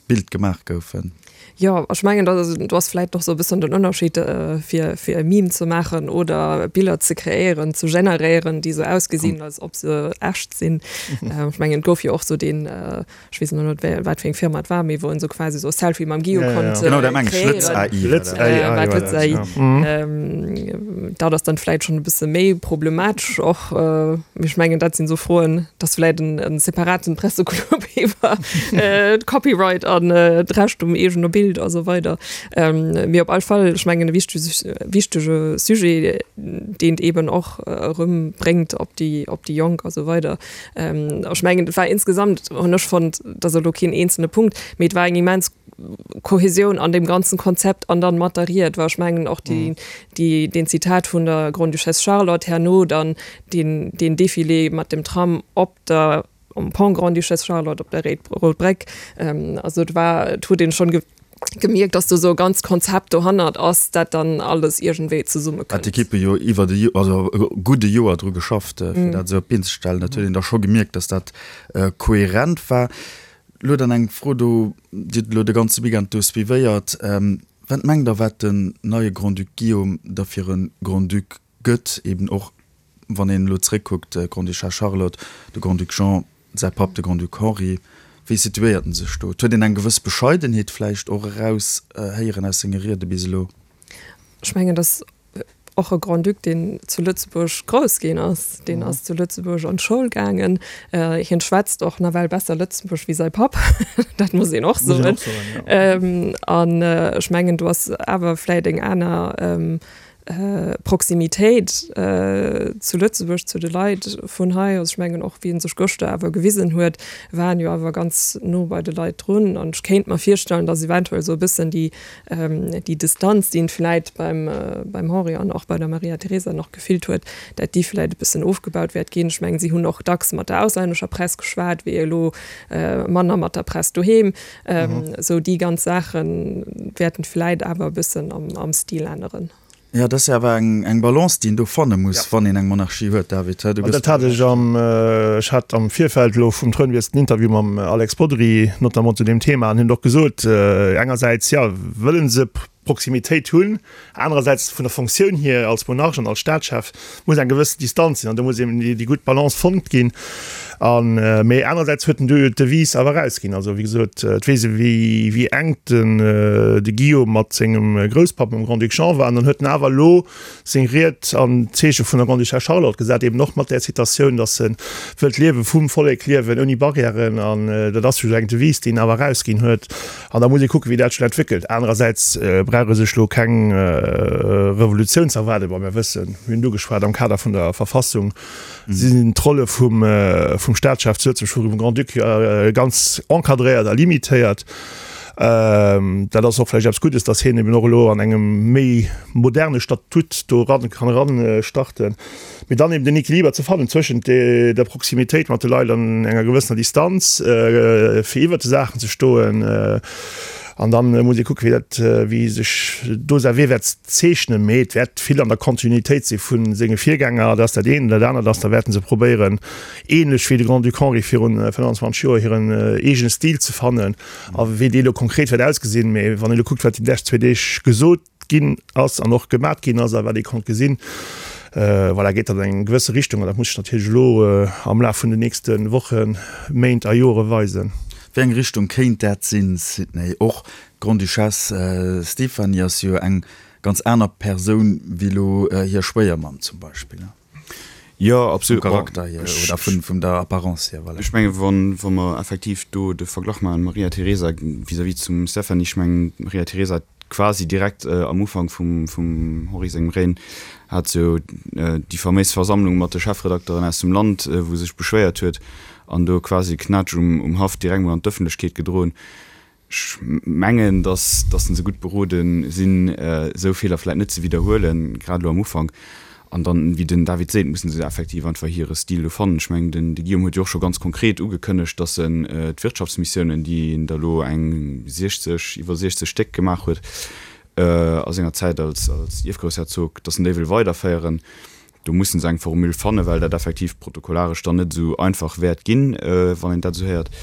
Bild gemaach goufen. Jo, ech mengen, do ass vläit och sou e bëssen den Ënnerscheed, fir fir e Meme ze maachen oder Biller ze kreéieren, ze generéieren, déi sou ausgesinn, als ob se echt sinn. Ech mengen, et gouf jo och sou deen, ech weess elo net, wat fir eng Firma et war, mee wou en sou quasi sou e Selfie mam Guillaume konnt Genau, dat mengen ech, kreéieren. Lëtz A I war war dat. Lëtz A I, dat ass dann vläit schonn e bësse méi problematesch och. Mee ech mengen, dat sinn sou Froen, dat ass vläit en separaten Presseclub iwwer d'Copyright an d'Recht um eegene Bild a sou weider. Mee op all Fall, ech mengen e wichtege Sujet, deen eben och erëm bréngt op déi op déi Jonk a sou weider. Ech mengen, et war insgesamt, hunn ech fonnt, dat ass elo keen eenzelne Punkt, mee et war eng immens Kohäsioun an deem ganzen Konzept an dann mat der Ried, well ech mengen och déi déi deen Zitat vun der Grande-Duchesse Charlotte herno dann deen deen Défilé mat dem Tram op der um Pont Grande-Duchesse Charlotte op der Rout Bréck, also et war, et huet een schonn gemierkt, dass do esou e ganzt Konzept dohannert ass, dat dann alles iergendwéi zesummekënnt. Hat d'Ekippe jo iwwert e Joer, also e gudde Joer dru geschafft, fir dat esou op d'Been ze stellen. Dat huet een da scho gemierkt, dass dat kohärent war. Elo dann eng Fro do, Dir hutt elo de ganze Weekend do suivéiert. Wat mengt Der, wat den neie Grand-Duc Guillaume da fir e Grand-Duc gëtt, eben och wann een elo zréckkuckt, d'Grande-Duchesse Charlotte, de Grand-Duc Jean, säi Papp, de Grand-Duc Henri, wéi situéiert en sech do? Et huet een eng gewëss Bescheidenheet vläicht och eraus héieren aus senge Riede bis elo. Ech mengen, datt och e Grand-Duc, deen zu Lëtzebuerg grouss ginn ass, deen ass zu Lëtzebuerg an d'Schoul gaangen, hien schwätzt och nawell besser Lëtzebuergesch wéi säi Papp, dat muss een och soen. An ech mengen, do ass awer vläicht eng aner, Proximitéit zu Lëtzebuerg, zu de Leit vun hei. Also ech mengen och wéi en sech gëschter awer gewisen huet, war en jo awer ganz no bei de Leit drun. An ech kéint mer virstellen, datt eventuell esou e bëssen déi déi Distanz, déi en vläit beim beim Henri an och bei der Maria Teresa nach gefillt huet, dat déi vläit e bëssen ofgebaut wäert ginn. Ech mengen, si hunn och dacks mat der auslännescher Press geschwat, wéi elo manner mat der Press doheem. Esou déi ganz Saache wäerten vläit awer e bëssen am am Stil änneren. Jo, dat ass jo awer eng eng Balance, déi een do fanne muss, wann een eng Monarchie huet, David. Du gëss. Dat hat ech am, ech hat am Virfeld elo vum Trounwiessel en Interview mam Alex Bodry, notamment zu deem Thema, an hien huet och gesot, engersäits, jo, wëlle se Proximitéit hunn, anerersäits vun der Fonctioun hier als Monarch an als Staatschef muss eng gewësse Distanz sinn an do muss eben déi gutt Balance fonnt ginn. An, mee anerersäits huet en du jo d'Devise awer erausginn. Also wéi gesot, et weess ee wéi wéi enk den de Guillaume mat sengem Grousspapp, mam Grand-Duc Jean war. An dann huet en awer elo seng Ried an d'Zeeche vun der Grande-Duchesse Charlotte gesat, eben och mat där Citatioun, datt e wëllt d'Liewe vum Vollek liewen ouni Barrièren. An dat ass jo eng Devise, déi en awer erausginn huet. An da muss ee kucken, wéi dat sech entwéckelt. Anerersäits brauch ee sech elo keng Revolutioun ze erwaarden. Bon, mir wëssen, mir hunn et ugeschwat am Kader vun der Verfassung, sinn d'Rolle vum vum Staatschef zu Lëtzebuerg, vum Grand-Duc ganz encadréiert a limitéiert. Dat ass och vläicht eppes Guddes, datt hien eben och elo an engem méi moderne Statut do eran kann eran starten. Mee dann eben den Equiliber ze fannen zwëschent der Proximitéit mat de Leit an enger gewëssener Distanz, fir iwwert de Saachen ze stoen, An dann muss ee kucken, wéi dat, wéi sech do säi Wee wäert zeechnen. Mee et wäert vill an der Kontinuitéit si vu senge Virgänger. Dat ass dat eent. An dat anert ass, da wäerte se probéieren, ähnlech wéi de Grand-Duc Henri virun fënnanzwanzeg Joer, hiren eegene Stil ze fannen. A wéi dee elo konkret wäert ausgesinn, mee wann ee elo kuckt, wat déi lescht zwee Deeg gesot ginn ass an och gemat ginn ass a wat ee konnt gesinn, voilà, geet dat an eng gewësse Richtung. An dat muss sech natierlech elo am Laf vun den nächste Wochen, Méint a Jore weisen. Wéi eng Richtung kéint dat sinn, Sidney? Och d'Grande-Duchesse Stéphanie ass jo eng ganz aner Persoun wéi elo hir Schwéiermamm zum Beispill. Jo, absolut. Vum Charakter hier oder vun der Apparence hier, voilà. Ech mengen, wa mer effektiv do de Verglach maachen, Maria Teresa vis-à-vis zum Stéphanie, ech mengen, d'Maria Teresa hat quasi direkt am Ufank vum Henri sengem Règne hat se jo déi faméis Versammlung mat de Chefredakteren aus dem Land, wou se sech beschwéiert huet, an do quasi Knätsch um Haff direkt mol an d'Ëffentlechkeet gedroen. Ech mengen, datt datt se gutt berode sinn, esou Feeler vläit net ze widderhuelen, grad elo am Ufank. An dann, wéi den David seet, mussen se effektiv einfach hire Stil do fannen. Ech mengen, den de Guillaume huet jo och scho ganz konkret ugekënnegt, datt en d'Wirtschaftsmissiounen, déi en der elo eng siechzeg, iwwer siechzeg Stéck gemaach huet a senger Zäit als als Ierfgroussherzog, datt en déi wëll weiderféieren. Do mussen se eng Formule fannen, well dat effektiv protokollaresch dann net esou einfach wäert ginn, wann een dat esou héiert.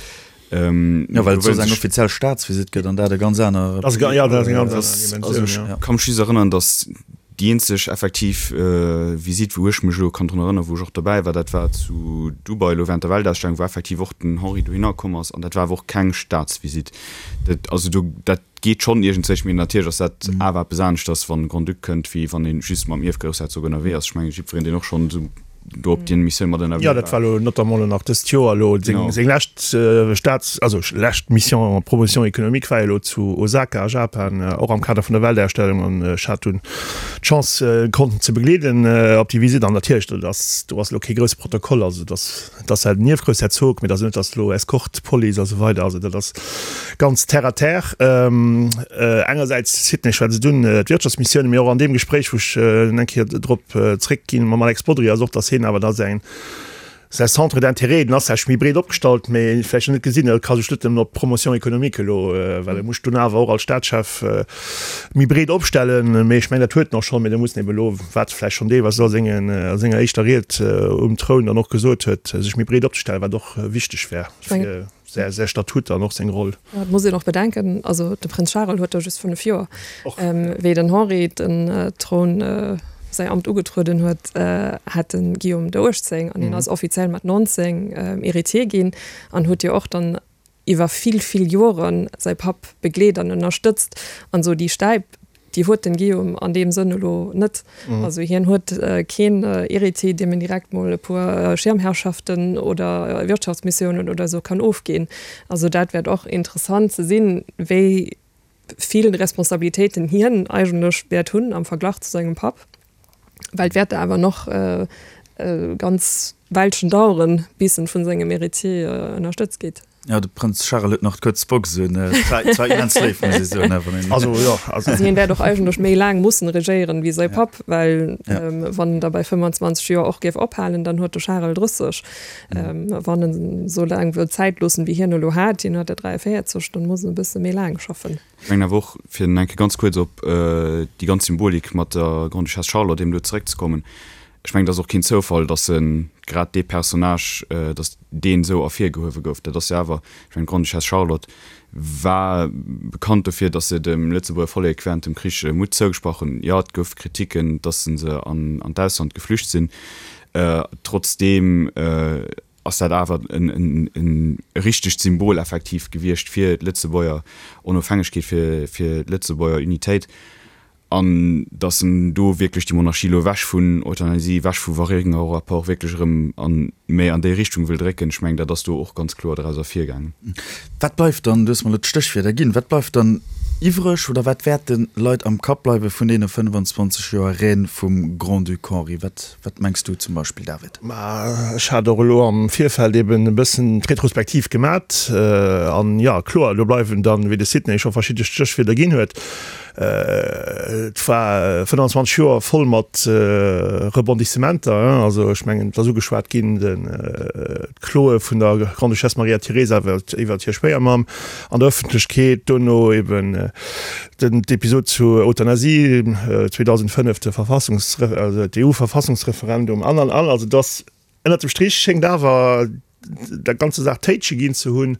Jo, well et soss eng offiziell Staatsvisitt gëtt an dat e ganz aner. Jo, dat ass eng ganz aner Dimensioun, jo. Also ech ka mech just erënnern, datt déi eenzeg effektiv Visitt, wou ech mech elo kann drun erënnern, wou ech och dobäi war, dat war zu Dubai elo während der Weltausstellung, wou effektiv och den Henri dohinner komm ass an dat war awer och keng Staatsvisitt. Dat, also do, dat geet schonn iergendzwéi, mee natierlech ass dat awer eppes aneschters, wann e Grand-Duc kënnt, wéi wann ee just mam Ierfgroussherzog ënnerwee ass. Ech mengen, jiddwereen, deen och schonn esou do op deene Missioun mat ënnerwee war. Jo, dat war elo notamment elo nach dëst Joer elo seng, seng lescht Staats-, also lescht Mission en promotion économique war jo elo zu Osaka a Japan, och am Kader vun der Weltausstellung an ech hat dunn d'Chance, konnten ze begleeden op déi Visitt an natierlech, dat ass, do ass elo kee grousse Protokoll, also dat ass, Et ass halt den Ierfgroussherzog, mee et ass net, datt elo Eskorte, Police a sou weider, also dat ass ganz terre à terre. Engersäits Sidney, ech war ze dunn d'Wirtschaftsmissiounen, mee och an deem Gespréich, wou ech eng Kéier drop zréckginn mam Alex Bodry, ass och, datt hien awer da säin säi Centre d'intérêt, den ass vläicht méi breet opgestallt, mee vläicht nach net gesinn, e ka sech net nëmmen op d'Promotion économique elo, well e muss dunn awer och als Staatschef méi breet opstellen. Mee ech mengen, dat huet en och schonn, mee da muss en eben elo, wat vläicht schonn deelweis a sengen, a senger éischter Ried um Troun dann och gesot huet, sech méi breet opzestellen, wat och wichteg wär fir säi, säi Statut an och seng Roll. Et muss een och bedenken, also de Prënz Charel huet da just fënnef Joer. Wéi den Henri den Troun, säi Amt ugetrueden huet, hat de Guillaume der uechtzéng an hien ass offiziell mat nonzéng Héritier ginn an huet jo och dann iwwer vill, vill Joren säi Papp begleet an ënnerstëtzt an esou. Déi Stäip, déi huet den Guillaume an deem Sënn elo net. Also hien huet keen Héritier, deem en direkt mol e puer Schirmherrschaften oder Wirtschaftsmissiounen oder esou kann ofginn. Also dat wäert och interessant ze sinn, wéi vill Responsabilitéiten hien eigentlech wäert hunn am Verglach zu sengem Papp, well et wäert awer nach e ganz Weilchen daueren, bis en vun sengem Héritier ënnerstëtzt gétt. Jo, de Prënz Charel huet nach d'kuerz Box un. Et war immens léif, muss ech soen. Also, jo, also. Also hien wäert och eigentlech méi laang mussen regéieren wéi säi Papp, well wann en da bei fëmmendzwanzeg Joer och géif ophalen, dann huet de Charel drësseg. Wann en esou laang wëllt Zäit loossen, wéi hien elo hat, hien huet der dräiavéierzeg, dann muss en e bësse méi laang schaffen. Ech mengen awer och, fir eng Kéier ganz kuerz op déi ganz Symbolik mat der Grande-Duchesse Charlotte eben do zeréckzekommen, Ech mengen, et ass och keen Zoufall, datt e grad dee Personnage, datt deen esou ervirgehuewe gouf. Dat ass jo awer, ech mengen, d'Grande-Duchesse Charlotte war bekannt dofir, datt se dem Lëtzebuerger Vollek während dem Krich Mutt zougesprach hunn. Jo, et gouf Kritiken, datt se an d'Ausland geflücht sinn. Trotzdeem ass dat awer e richtegt Symbol effektiv gewiescht fir d'Lëtzebuerger Onofhängegkeet, fir d'Lëtzebuerger Unitéit. An datt en do wierklech déi Monarchie elo ewech vun Euthanasie, ewech vu Waringo-Rapport wierklech erëm an méi an déi Richtung wëll drécken, ech mengen, dat ass do och ganz kloer draus ervirgaangen. Wat bleift dann, du hues mer elo d'Stéchwierder ginn, wat bleift dann iwwreg oder wat wäert de Leit am Kapp bleiwe vun deene fënnfanzwanzeg Joer Règne vum Grand-Duc Henri? Wat, wat mengs du zum Beispill, David? Ma ech hat och elo am Virfeld eben e bëssen d'Retrospektiv gemat. An jo, kloer, do bleiwen dann, wéi de Sidney scho verschidde Stéchwierder ginn huet, Et war fënnanzwanzeg Joer voll mat Rebondissementer. Also ech mengen, et ass ugeschwat ginn, d'Kloe vun der Grande-Duchesse Maria Teresa iwwert hir Schwéiermamm an der Ëffentlechkeet, dono eben d'Episod zu Euthanasie, zweedausendfënnef de Verfassungs-, also d'EU-Verfassungsreferendum an, an, an. Also et ass ënnert dem Strich schéngt awer der ganzer Saach Téitsche ginn ze hunn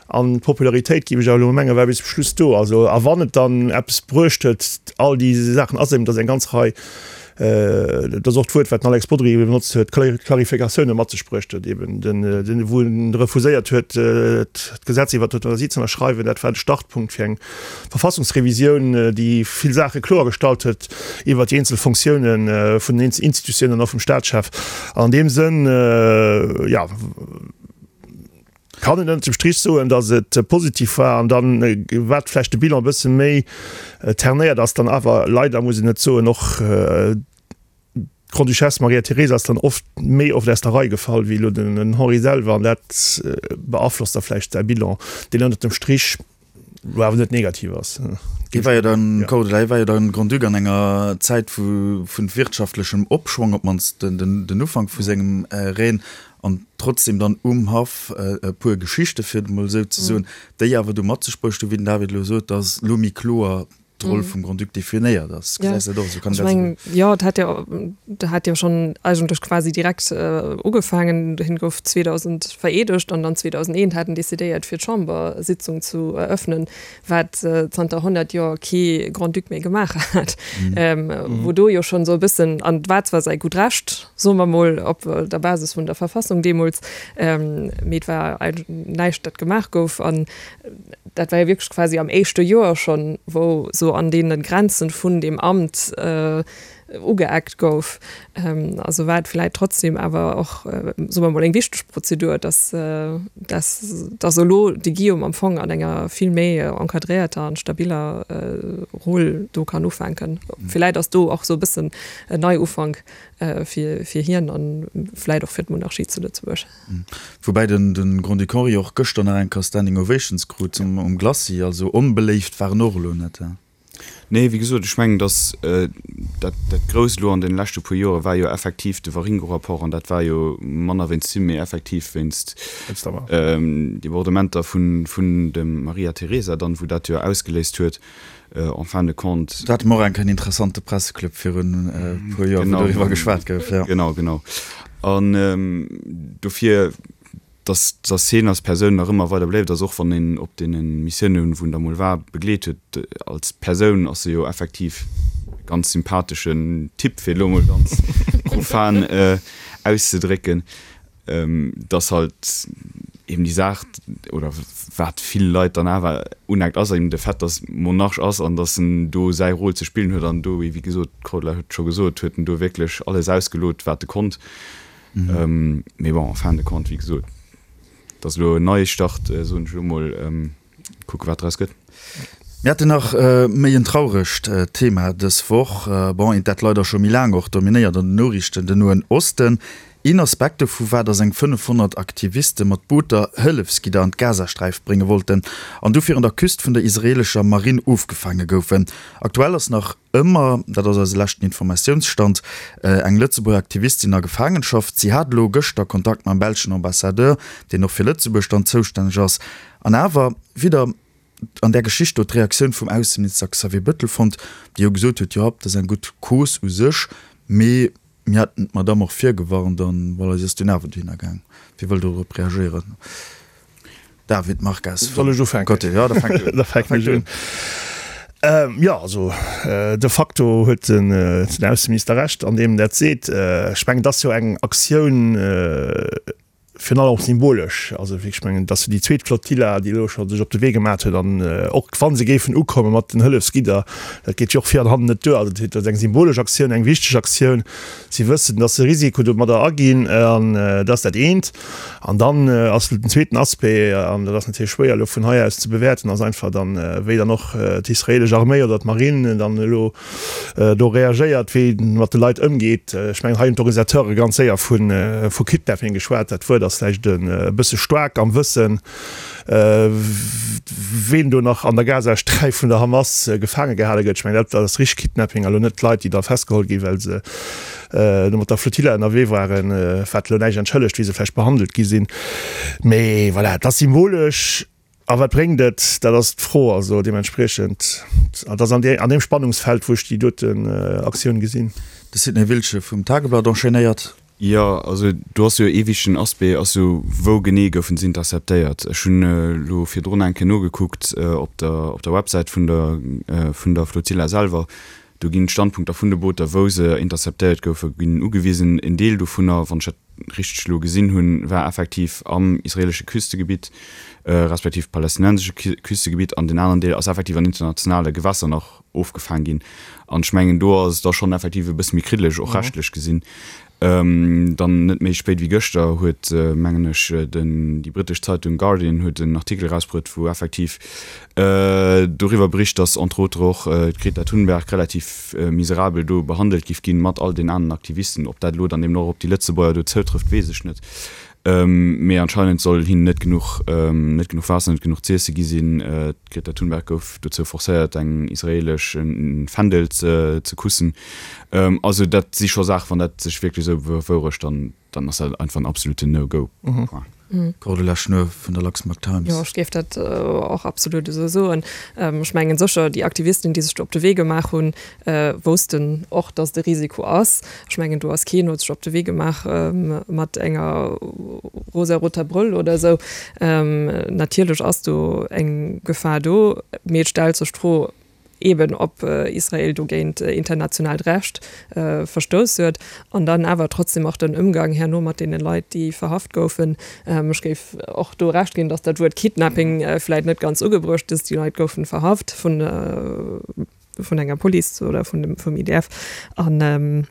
an d'Popularitéit, géif ech awer elo mengen, war bis zum Schluss do. Also, a wann et dann eppes bruecht huet, all déi Saachen, ass eben, datt eng ganz Rei, dat ass och d'Wuert, wat den Alex Bodry ebe benotzt huet, Clarificatioune mat sech bruecht huet, eben den, wou en refuséiert huet, d'Gesetz iwwert d'Euthanasie ze ënnerschreiwen, dat war de Startpunkt fir eng Verfassungsrevisioun, déi vill Saache kloergestallt huet iwwert déi eenzel Fonctiounen vun den Institutiounen an och vum Staatschef. An deem Sënn, jo, kann een ënnert dem Strich soen, datt et positiv war. An dann, wat vläicht de Bilan e bësse méi ternéiert, ass dann awer leider, muss een et soen, och D'Grande-Duchesse Maria Teresa ass dann oft méi oft aus der Rei gefall wéi elo den Henri selwer, an dat beaflosst da vläicht säi Bilan, deen ënnert dem Strich elo awer net negativ ass. Hie war jo dann, Cordula, hie war jo dann Grand-Duc an enger Zäit vu wirtschaftlechem Opschwong, op d'mannst den Ufank vu sengem Règne, an trotzdem dann um Haff e puer Geschichte, fir et emol esou ze soen, déi awer du mat sech bruecht hunn, wéi den David elo sot, datt elo méi kloer d'Roll vum Grand-Duc definéiert ass. Gesäis de dat och esou? Kann ech mengen, jo, et hat jo, dat hat jo schonn eigentlech quasi direkt ugefaangen. Hien gouf zweedausend vereedegt an dann zweedausendeent hat en decidéiert, fir d'Chambersitzung zu eröffnen, wat zanter honnert Joer kee Grand-Duc méi gemaach hat. Wou do jo schonn esou e bëssen, an et war zwar säi gutt Recht, soe mer mol, op der Basis vun der Verfassung deemools, mee et war näischt, dat gemaach gouf. An dat war jo wierklech quasi am éischte Joer schonn, wou sou an deene Grenzen vun deem Amt ugeeckt gouf. Also war et vläicht trotzdem awer och, soe mer mol, eng wichteg Prozedur, dass, dass, dass elo de Guillaume am Fong an enger vill méi encadréierter an stabiller Roll do kann ufänken. Vläicht ass do och sou e bëssen en Neiufank fir, fir hien an vläicht och fir d'Monarchie zu Lëtzebuerg. Woubäi den Grand-Duc Henri och gëschter nach eng Kéier Standing Ovations krut um Glacis, also onbeléift war en och elo net. Nee, wéi gesot, ech mengen, datt dat Grousst elo an deene leschte puer Jore war jo effektiv de Waringo-Rapport, an dat war jo manner wéinst him, mee effektiv wéinst Debordementer vun dem Maria Teresa dann, wou dat jo ausgeléist huet en fin de compte. Do hate mer och eng Kéier en interessante Presseclub virun e puer Joer, wou doriwwer geschwat gouf, jo. Genau, genau. An dofir, dass, dass hien als Persoun nach ëmmer weider bléift ass, och wann een op deene Missiounen, wou en da mol war, begleet huet. Als Persoun ass e jo effektiv e ganz sympatheschen Typ, fir elo mol ganz profan auszedrécken. Dass halt eben déi Saach, oder wat vill Leit dann awer uneckt, ass eben de Fait, dass Monarch ass an dass en do säi Rôle ze spillen huet an do, wéi gesot, d'Cordula huet et scho gesot, huet en do wierklech alles ausgelot, wat e konnt. Mee bon, en fin de compte, wéi gesot, et ass elo en Neistart, soen ech elo mol, kucke wat draus gëtt. Mir haten nach méi en trauregt Thema dës Woch, bon, eent dat leider scho méi laang och dominéiert an den Noriichten, den Noen Osten. Een Aspekt dovu war, datt eng fënnefhonnert Aktiviste mat Booter Hëllefsgidder an d'Gazasträif brénge wollten an dofir un der Küst vun der israeelescher Marinn ofgefaange goufen. Aktuell ass nach ëmmer, dat ass eise leschten Informatiounsstand, eng Lëtzebuerger Aktivistin a Gefaangenschaft. Si hat elo gëschter Kontakt mam belschen Ambassadeur, deen och fir Lëtzebuerg dann zoustänneg ass. An awer widder an där Geschicht do d'Reaktioun vum Ausseminister Xavier Bettel fonnt, dee jo gesot huet, jo, dat ass eng gutt Cause u sech, mee Mir haten d'Madamm och virgewarnt an voilà, si ass dunn awer dohinner gaang. Wie wëll do drop reagéieren? David Marques. Soll ech ufänken? Côté, jo, da fänk du un. Da fänken ech un. Jo, also de facto huet den Ausseminister Recht an deem en dat seet. Ech mengen, et ass jo eng Aktioun, Virun allem och symbolesch. Also wéi ech mengen, et ass jo déi zweet Flotilla, déi elo scho sech op de Wee gemat huet. An och wa se géifen ukomme mat den Hëllefsgidder, dat geet jo och vir an hannen net duer. Also dat ass eng symbolesch Aktioun, eng wichteg Aktioun. Si wëssen, datt se Risiko domadder aginn. An dat ass dat eent. An dann ass den zweeten Aspect, an dat ass natierlech schwéier elo vun hei aus ze bewäerten, ass einfach dann, wéi dann och d'israeelesch Arméi oder d'Marine dann elo do reagéiert, wéi mat de Leit ëmgeet. Ech mengen, hei hunn d'Organisateure ganz séier vu Kidnapping geschwat. Dat Wuert ass vläicht e bësse staark am Wëssen, ween do nach an der Gazasträif vun der Hamas gefaange gehale gëtt. Ech mengen, dat ass richteg Kidnapping a lo net d'Leit, déi da festgeholl ginn, well se do mat der Flotilla ënnerwee waren, wat elo näischt entschëllegt, wéi se vläicht behandelt gi sinn. Mee voilà, et ass symbolesch. A wat bréngt et? Dat ass d'Fro. Also deementspriechend, et ass an deem Spannungsfeld, wou ech déi doten Aktioun gesinn. De Sidney Wiltgen vum Tageblatt enchaînéiert. Jo, also do ass jo ee wichtegen Aspect ass jo, wou genee goufen se interceptéiert? Ech hunn elo virdrun eng Kéier nogekuckt op der op der Websäit vun der vun der Flotilla selwer. Do ginn d'Standpunkter vun de Booter, wou se interceptéiert goufen, ginn ugewisen. En Deel dovunner, wann ech dat richteg elo gesinn hunn, war effektiv am israeelesche Küstegebitt, respektiv palästinensesche Küstegebitt, an deen aneren Deel ass effektiv an internationale Gewässer nach ofgefaang ginn. An ech mengen, do ass et da schonn effektiv e bësse méi kriddeleg, och rechtlech gesinn. Dann net méi spéit wéi gëschter huet, mengen ech, den, déi brittesch Zeitung Guardian huet en Artikel erausbruet, wou effektiv doriwwer bericht, datt entre autres och d'Greta Thunberg relativ miserabel do behandelt giff ginn, mat all den aneren Aktivisten. Ob dat elo dann eben och op déi Lëtzebuerger do zoutrëfft, weess ech net. Mee anscheinend soll hinnen net genuch, net genuch Waasser, net genuch z'iesse gi sinn. D'Greta Thunberg gouf dozou forcéiert, eng israeelesch Fändel ze kussen. Also dat si scho Saachen, wann dat sech wierklech esou bewourecht, dann dann ass dat einfach en absoluten No-Go. Point. Cordula Schnuer vun der Luxembourg Times. Jo, ech géif dat och absolut esou soen. Ech mengen sécher, déi Aktivisten, déi sech do op de Wee gemaach hunn, woussten och, datt et e Risiko ass. Ech mengen, do ass keen, huet sech op de Wee gemaach mat enger rosaroter Brëll oder esou. Natierlech ass do eng Gefahr do, mee et stellt sech d'Fro, eben ob Israel dogéint internationaalt Recht verstouss huet, an dann awer trotzdem och den Ëmgang herno mat deene Leit, déi verhaft goufen. Ech géif och do Recht ginn, datt dat Wuert Kidnapping vläit net ganz ugebruecht ass. Déi Leit goufen verhaft vun vun enger Police oder vun dem vum I D F an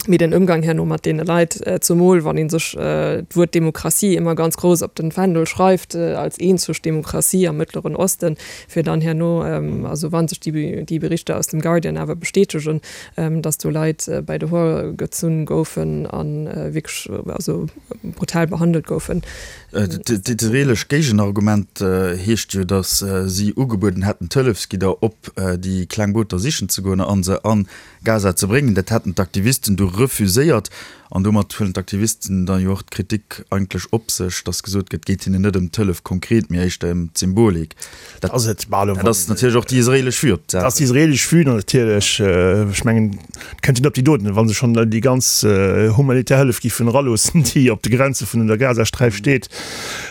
Mee den Ëmgang herno mat deene Leit, zemol wann ee sech d'Wuert Demokratie ëmmer ganz grouss op den Fändel schreift, als eenzeg Demokratie am Mëttleren Osten, fir dann herno, also wa sech déi Berichter aus dem Guardian awer bestätegen, datt do Leit bei de Hoer gezunn goufen a wierklech also brutal behandelt goufen. D'israeelesch Géigenargument heescht jo, datt si ugebueden hätten, d'Hëllefsgidder op déi kleng Booter sichen ze goen a se an Gaza ze bréngen. Dat hätten d'Aktivisten du refuséiert. An domat huelen d'Aktivisten dann jo och d'Kritik eigentlech op sech, datt gesot gëtt, et geet hinnen net ëm d'Hëllef konkret, mee éischter ëm d'Symbolik. Dat ass et. Dat ass natierlech och déi israeelesch Vue op d'Saach. Dat ass déi israeelesch Vue natierlech. Ech mengen, et kënnt jo net op déi doten, wa se schonn déi ganz humanitär Hëllef géifen eraloossen, déi op de Grenze vun der Gazasträif steet.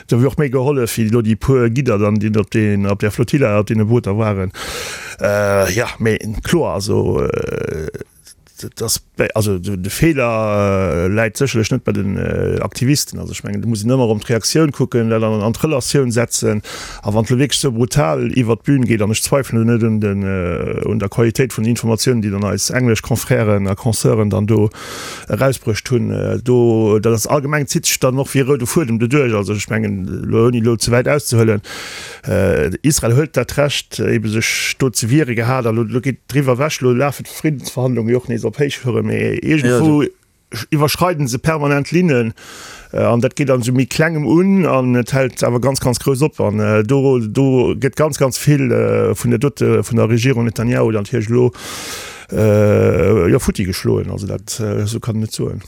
Do wier och méi gehollef wéi elo déi puer Gidder dann, déi op deen, op där Flotilla, op deene Booter waren. Jo, mee kloer, also dass also de Feeler läit sécherlech net bei den Aktivisten. Also ech mengen, do muss een ëmmer erëm d'Reaktioun kucken, dat an an d'Relatioun setzen. A wann et elo wierklech esou brutal iwwert d'Bün geet, an ech zweifelen do net un den un der Qualitéit vun den Informatiounen, déi dann eis englesch Confrèren a Consœuren dann do erausbruecht hunn, do dat ass allgemeng zitt sech dann och wéi e roude Fuedem doduerch. Also ech mengen, elo ouni elo ze wäit auszehuelen, Israel huet dat Recht ebe sech do ze wiere gehat a lo geet driwwer ewech. Elo lafen d'Friddensverhandlunge jo och nees op Héichtoure, mee iergendwou iwwerschreiden se permanent Linnen an dat geet an esou méi Klengem un an et hält awer ganz, ganz grouss op. An do do gëtt ganz, ganz vill vun der dote vun der Regierung Netanjahu dann natierlech elo jo futti geschloen. Also dat esou kann een et soen.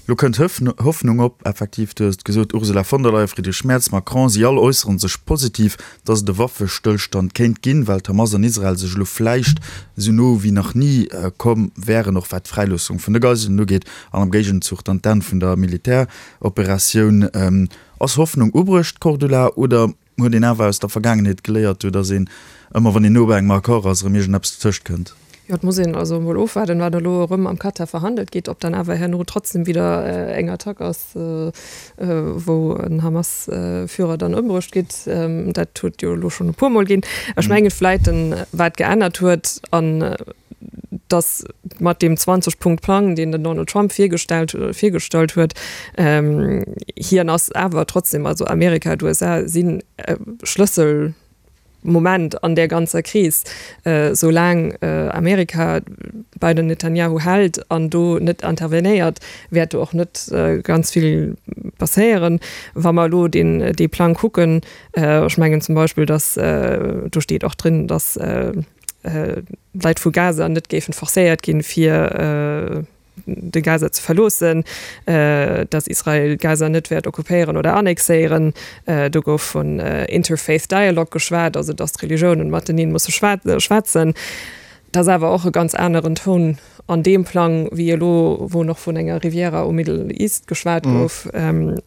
Lo kënnt Hoffnung op, effektiv, du hues et gesot, Ursula von der Leyen, Friedrich Merz, Macron, si all äussere sech positiv, datt et e Waffestëllstand kéint ginn, well d'Hamas an Israel sech elo vläicht esou no wéi nach ni komm wären, och wat d'Fräiloossung vun de Geiselen ugeet an am Géigenzuch dann d'Enn vun der Militäroperatioun. Ass Hoffnung ubruecht, Cordula, oder huet een awer aus der Vergaangenheet geléiert, do datt een ëmmer, wann een no bei engem Accord ass, erëm iergendeppes dotëscht kënnt? Jo, et muss een also emol ofwaarden, wat elo erëm am Katar verhandelt gétt, ob dann awer herno trotzdem wieder eng Attack ass, wou en Hamas-Führer dann ëmbruecht gétt. Dat huet jo elo schonn e puermol ginn. Ech mengen vläit, wat geännert huet, an dass mat deem zwanzeg-Punkt-Plang, deen den Donald Trump virgestellt virgestallt huet, hien ass awer trotzdem, also Amerika, d'U S A sinn Schlëssel, Moment an där ganzer Kris, soulaang Amerika bei den Netanjahu hält an do net intervenéiert, wäert do och net ganz vill passéieren. Wa mer elo deen dee Plang kucken, ech mengen zum Beispill, datt do steet och drin, datt d'Leit vu Gaza net géifen forcéiert ginn, fir de Gaza ze verloossen, datt Israel Gaza net wäert occupéieren oder annexéieren. Do gouf vun Interfaith Dialogue geschwat, also datt d'Religiounen mateneen musse schwätzen. Dat ass awer och e ganz aneren Toun an deem Plang wéi elo, wou nach vun enger Riviera um Middle East geschwat gouf.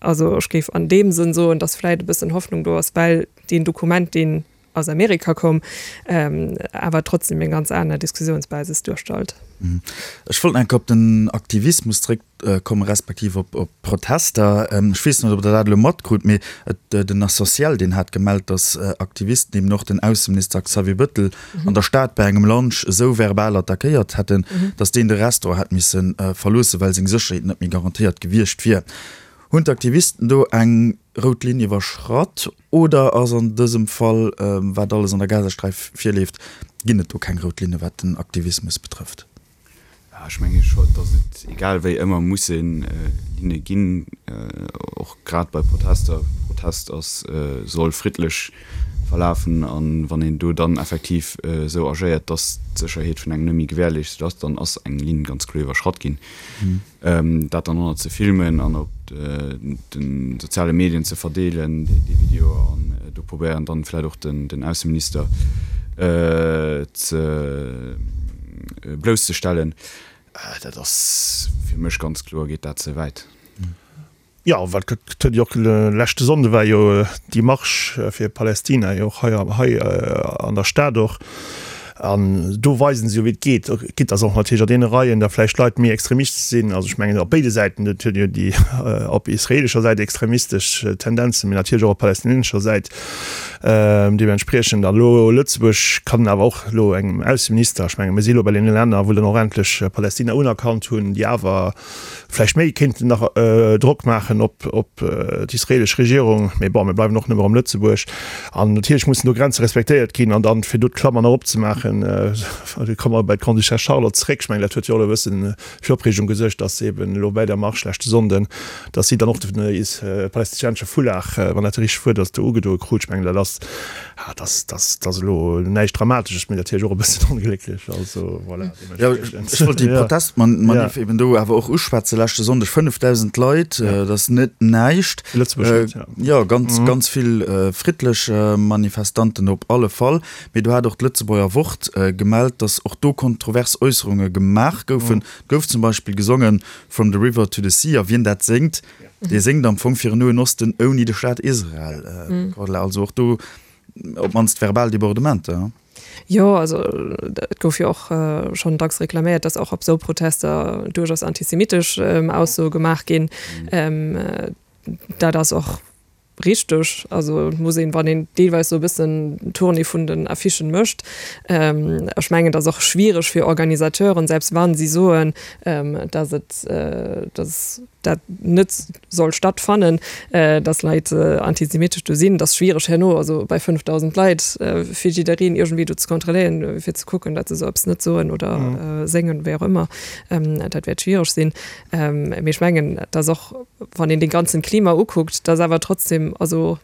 Also ech géif an deem Sënn soen, datt vläicht e bëssen Hoffnung do ass, well deen Dokument, deen aus Amerika koum, awer trotzdem eng ganz aner Diskussionsbasis duerstellt. Ech wollt nach eng Kéier op den Aktivismus zréckkommen, respektiv op d'Protester. Ech weess net, ob Der dat elo matkrut, mee den Associel, deen hat gemellt, datt Aktivisten eben och den Ausseminister Xavier Bettel an der Stad bei engem Lunch esou verbal attackéiert hätten, datt deen de Restaurant hätt misse verloossen, well seng Sécherheet net méi garantéiert gewiescht wier. Hunn d'Aktivisten do eng rout Linn iwwerschratt oder ass an dësem Fall, wat alles an der Gazasträif virleeft, ginn et do keng rout Linne wat den Aktivismus betrëfft? Ech menge scho, datt et egal wéi ëmmer musse Linne ginn, och grad bei Protester. Protest ass, soll friddlech verlafen a wann een do dann effektiv esou agéiert, datt d'Sécherheet vun engem net méi gewährleeschtet ass, dann ass eng Linn ganz kloer iwwerschratt ginn. Dat dann och nach ze filmen an op de soziale Medien ze verdeelen, dee Video, an do probéieren dann vläicht och den Ausseminister ze blousszestellen, dat ass fir mech ganz kloer, geet dat ze wäit. Jo, wat gëtt huet jo och leschte Sonnde war jo déi Marsch fir Palästina jo och hei hei an der Stad och. An do weisen se jo wéi et geet. Quitte dass och natierlech a deene Reien da vläicht Leit méi extremistesch sinn. Also ech mengen op béide Säiten, et huet jo déi op israeelescher Säit extremistesch Tendenzen, mee natierlech och op palästinensescher Säit deementspriechend. An elo Lëtzebuerg kann awer och elo engem Ausseminister, ech menge mir si elo bei deene Länner wou dann och endlech Palästina unerkannt hunn, déi awer vläicht méi kéinten nach Drock maachen op op d'israeelesch Regierung, mee bon, mir bleiwen och nëmme am Lëtzebuerg. An natierlech mussen do Grenze respektéiert ginn. An dann, fir do d'Klammer nach opzemaachen, do komme mer bei d'Grande-Duchesse Charlotte zréck, ech mengen, dat huet jo och elo e bësse fir Opreegung gesuergt, dass se eben elo bei der Marsch leschte Sonnden, dass si dann och de palästinensesche Foulard, wann dat de richtegt Wuert ass, do ugedoe krut. Ech mengen, dat ass, dat ass, dat ass elo näischt Dramatesches, mee natierlech och e bëssen onglécklech. Also voilà. Jo, ech wollt déi Protestmanif eben do awer och uschwätzen. Leschte Sonndeg fënnefdausend Leit, dat ass net näischt. Lëtzebuerg net, ja. Jo, ganz, ganz vill friddlech Manifestanten op alle Fall. Mee do hat och d'Lëtzebuerger Wort gemellt, datt och do kontrovers Äusserunge gemaach goufen. Et gouf zum Beispill gesongen From the river to the sea. A wien dat séngt, dee séngt am Fong fir en Noen Osten ouni de Staat Israel. Also och do op d'mannst verbal Debordementer. Jo, also et gouf jo och schonn dacks reklaméiert, datt och op esou Protester duerchaus antisemitesch Aussoe gemaach ginn. Dat ass och richteg. Also et muss een, wann een deelweis esou e bëssen d'Tournée vun den Affichen mécht, ech mengen, et ass och schwiereg fir Organisateuren, selbst wa si soen, datt et, datt dat net soll stattfannen, datt Leit antisemitesch do sinn. Et ass schwiereg herno, also bei fënnfdausend Leit, fir jiddereen iergendwéi do ze kontrolléieren, fir ze kucken, datt se esou eppes net soen oder séngen, wéi och ëmmer. Dat wäert schwiereg sinn. Mee ech mengen, et ass och, wann een dee ganzen Klima ukuckt, dass awer trotzdem, also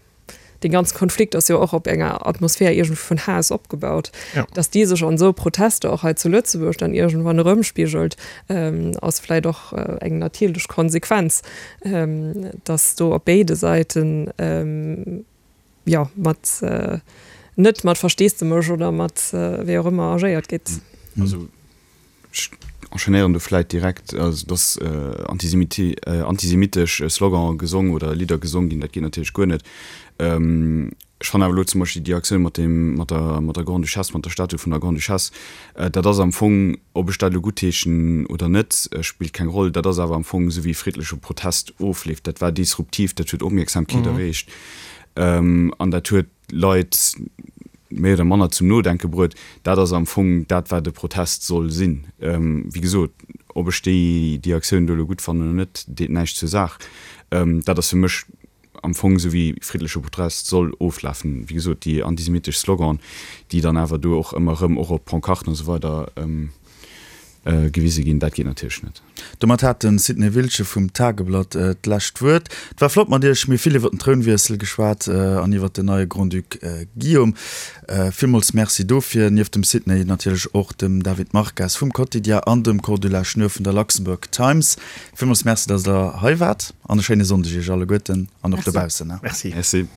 dee ganze Konflikt ass jo och op enger Atmosphär iergendwéi vun Haass opgebaut, Ja. dass déi sech an esou Protester och hei zu Lëtzebuerg dann iergendwann erëmspigelt, ass vläicht och eng natierlech Konsequenz, dass do op béide Säiten, jo, mat, net mat Versteesdemech oder mat wéi och ëmmer agéiert gétt. Also ech enchaînéieren do vläit direkt, also dass antisemitesch Slogane gesong oder Lidder gesong ginn, dat geet natierlech guer net. Ech fannen awer elo zum Beispill déi Aktioun mat deem, mat der, mat der Grande-Duchesse, mat der Statue vun der Grande-Duchesse, dat ass am Fong, ob ech dat elo guttheeschen oder net, spillt keng Roll, dat ass awer am Fong esou wéi friddleche Protest ofleeft. Dat war disruptiv, dat huet Opmierksamkeet erreecht an dat huet Leit méi oder manner zum Nodenke bruet. Dat ass am Fong dat, wat e Protest soll sinn. Wéi gesot, ob ech déi, déi Aktioun do elo gutt fannen oder net, deet näischt zur Saach. Dat ass fir mech am Fong esou wéi friddleche Protest soll oflafen. Wéi gesot, déi antisemitesch Sloganen, déi dann awer do och ëmmer erëm och op Pancarten a sou weider gewise ginn, dat geet natierlech net. Domat hat de Sidney Wiltgen vum Tageblatt d'lescht Wuert. Et war flott mat Iech. Mir hu vill iwwer den Trounwiessel geschwat an iwwer den neie Grand-Duc Guillaume. Villmools Merci dofir. Nieft dem Sidney natierlech och dem David Marques vum Quotidien an dem Cordula Schnur vun der Luxembourg Times. Villmools Merci, datt Der hei waart an e schéine Sonndeg Iech alleguerten an och dobaussen. Merci. Merci.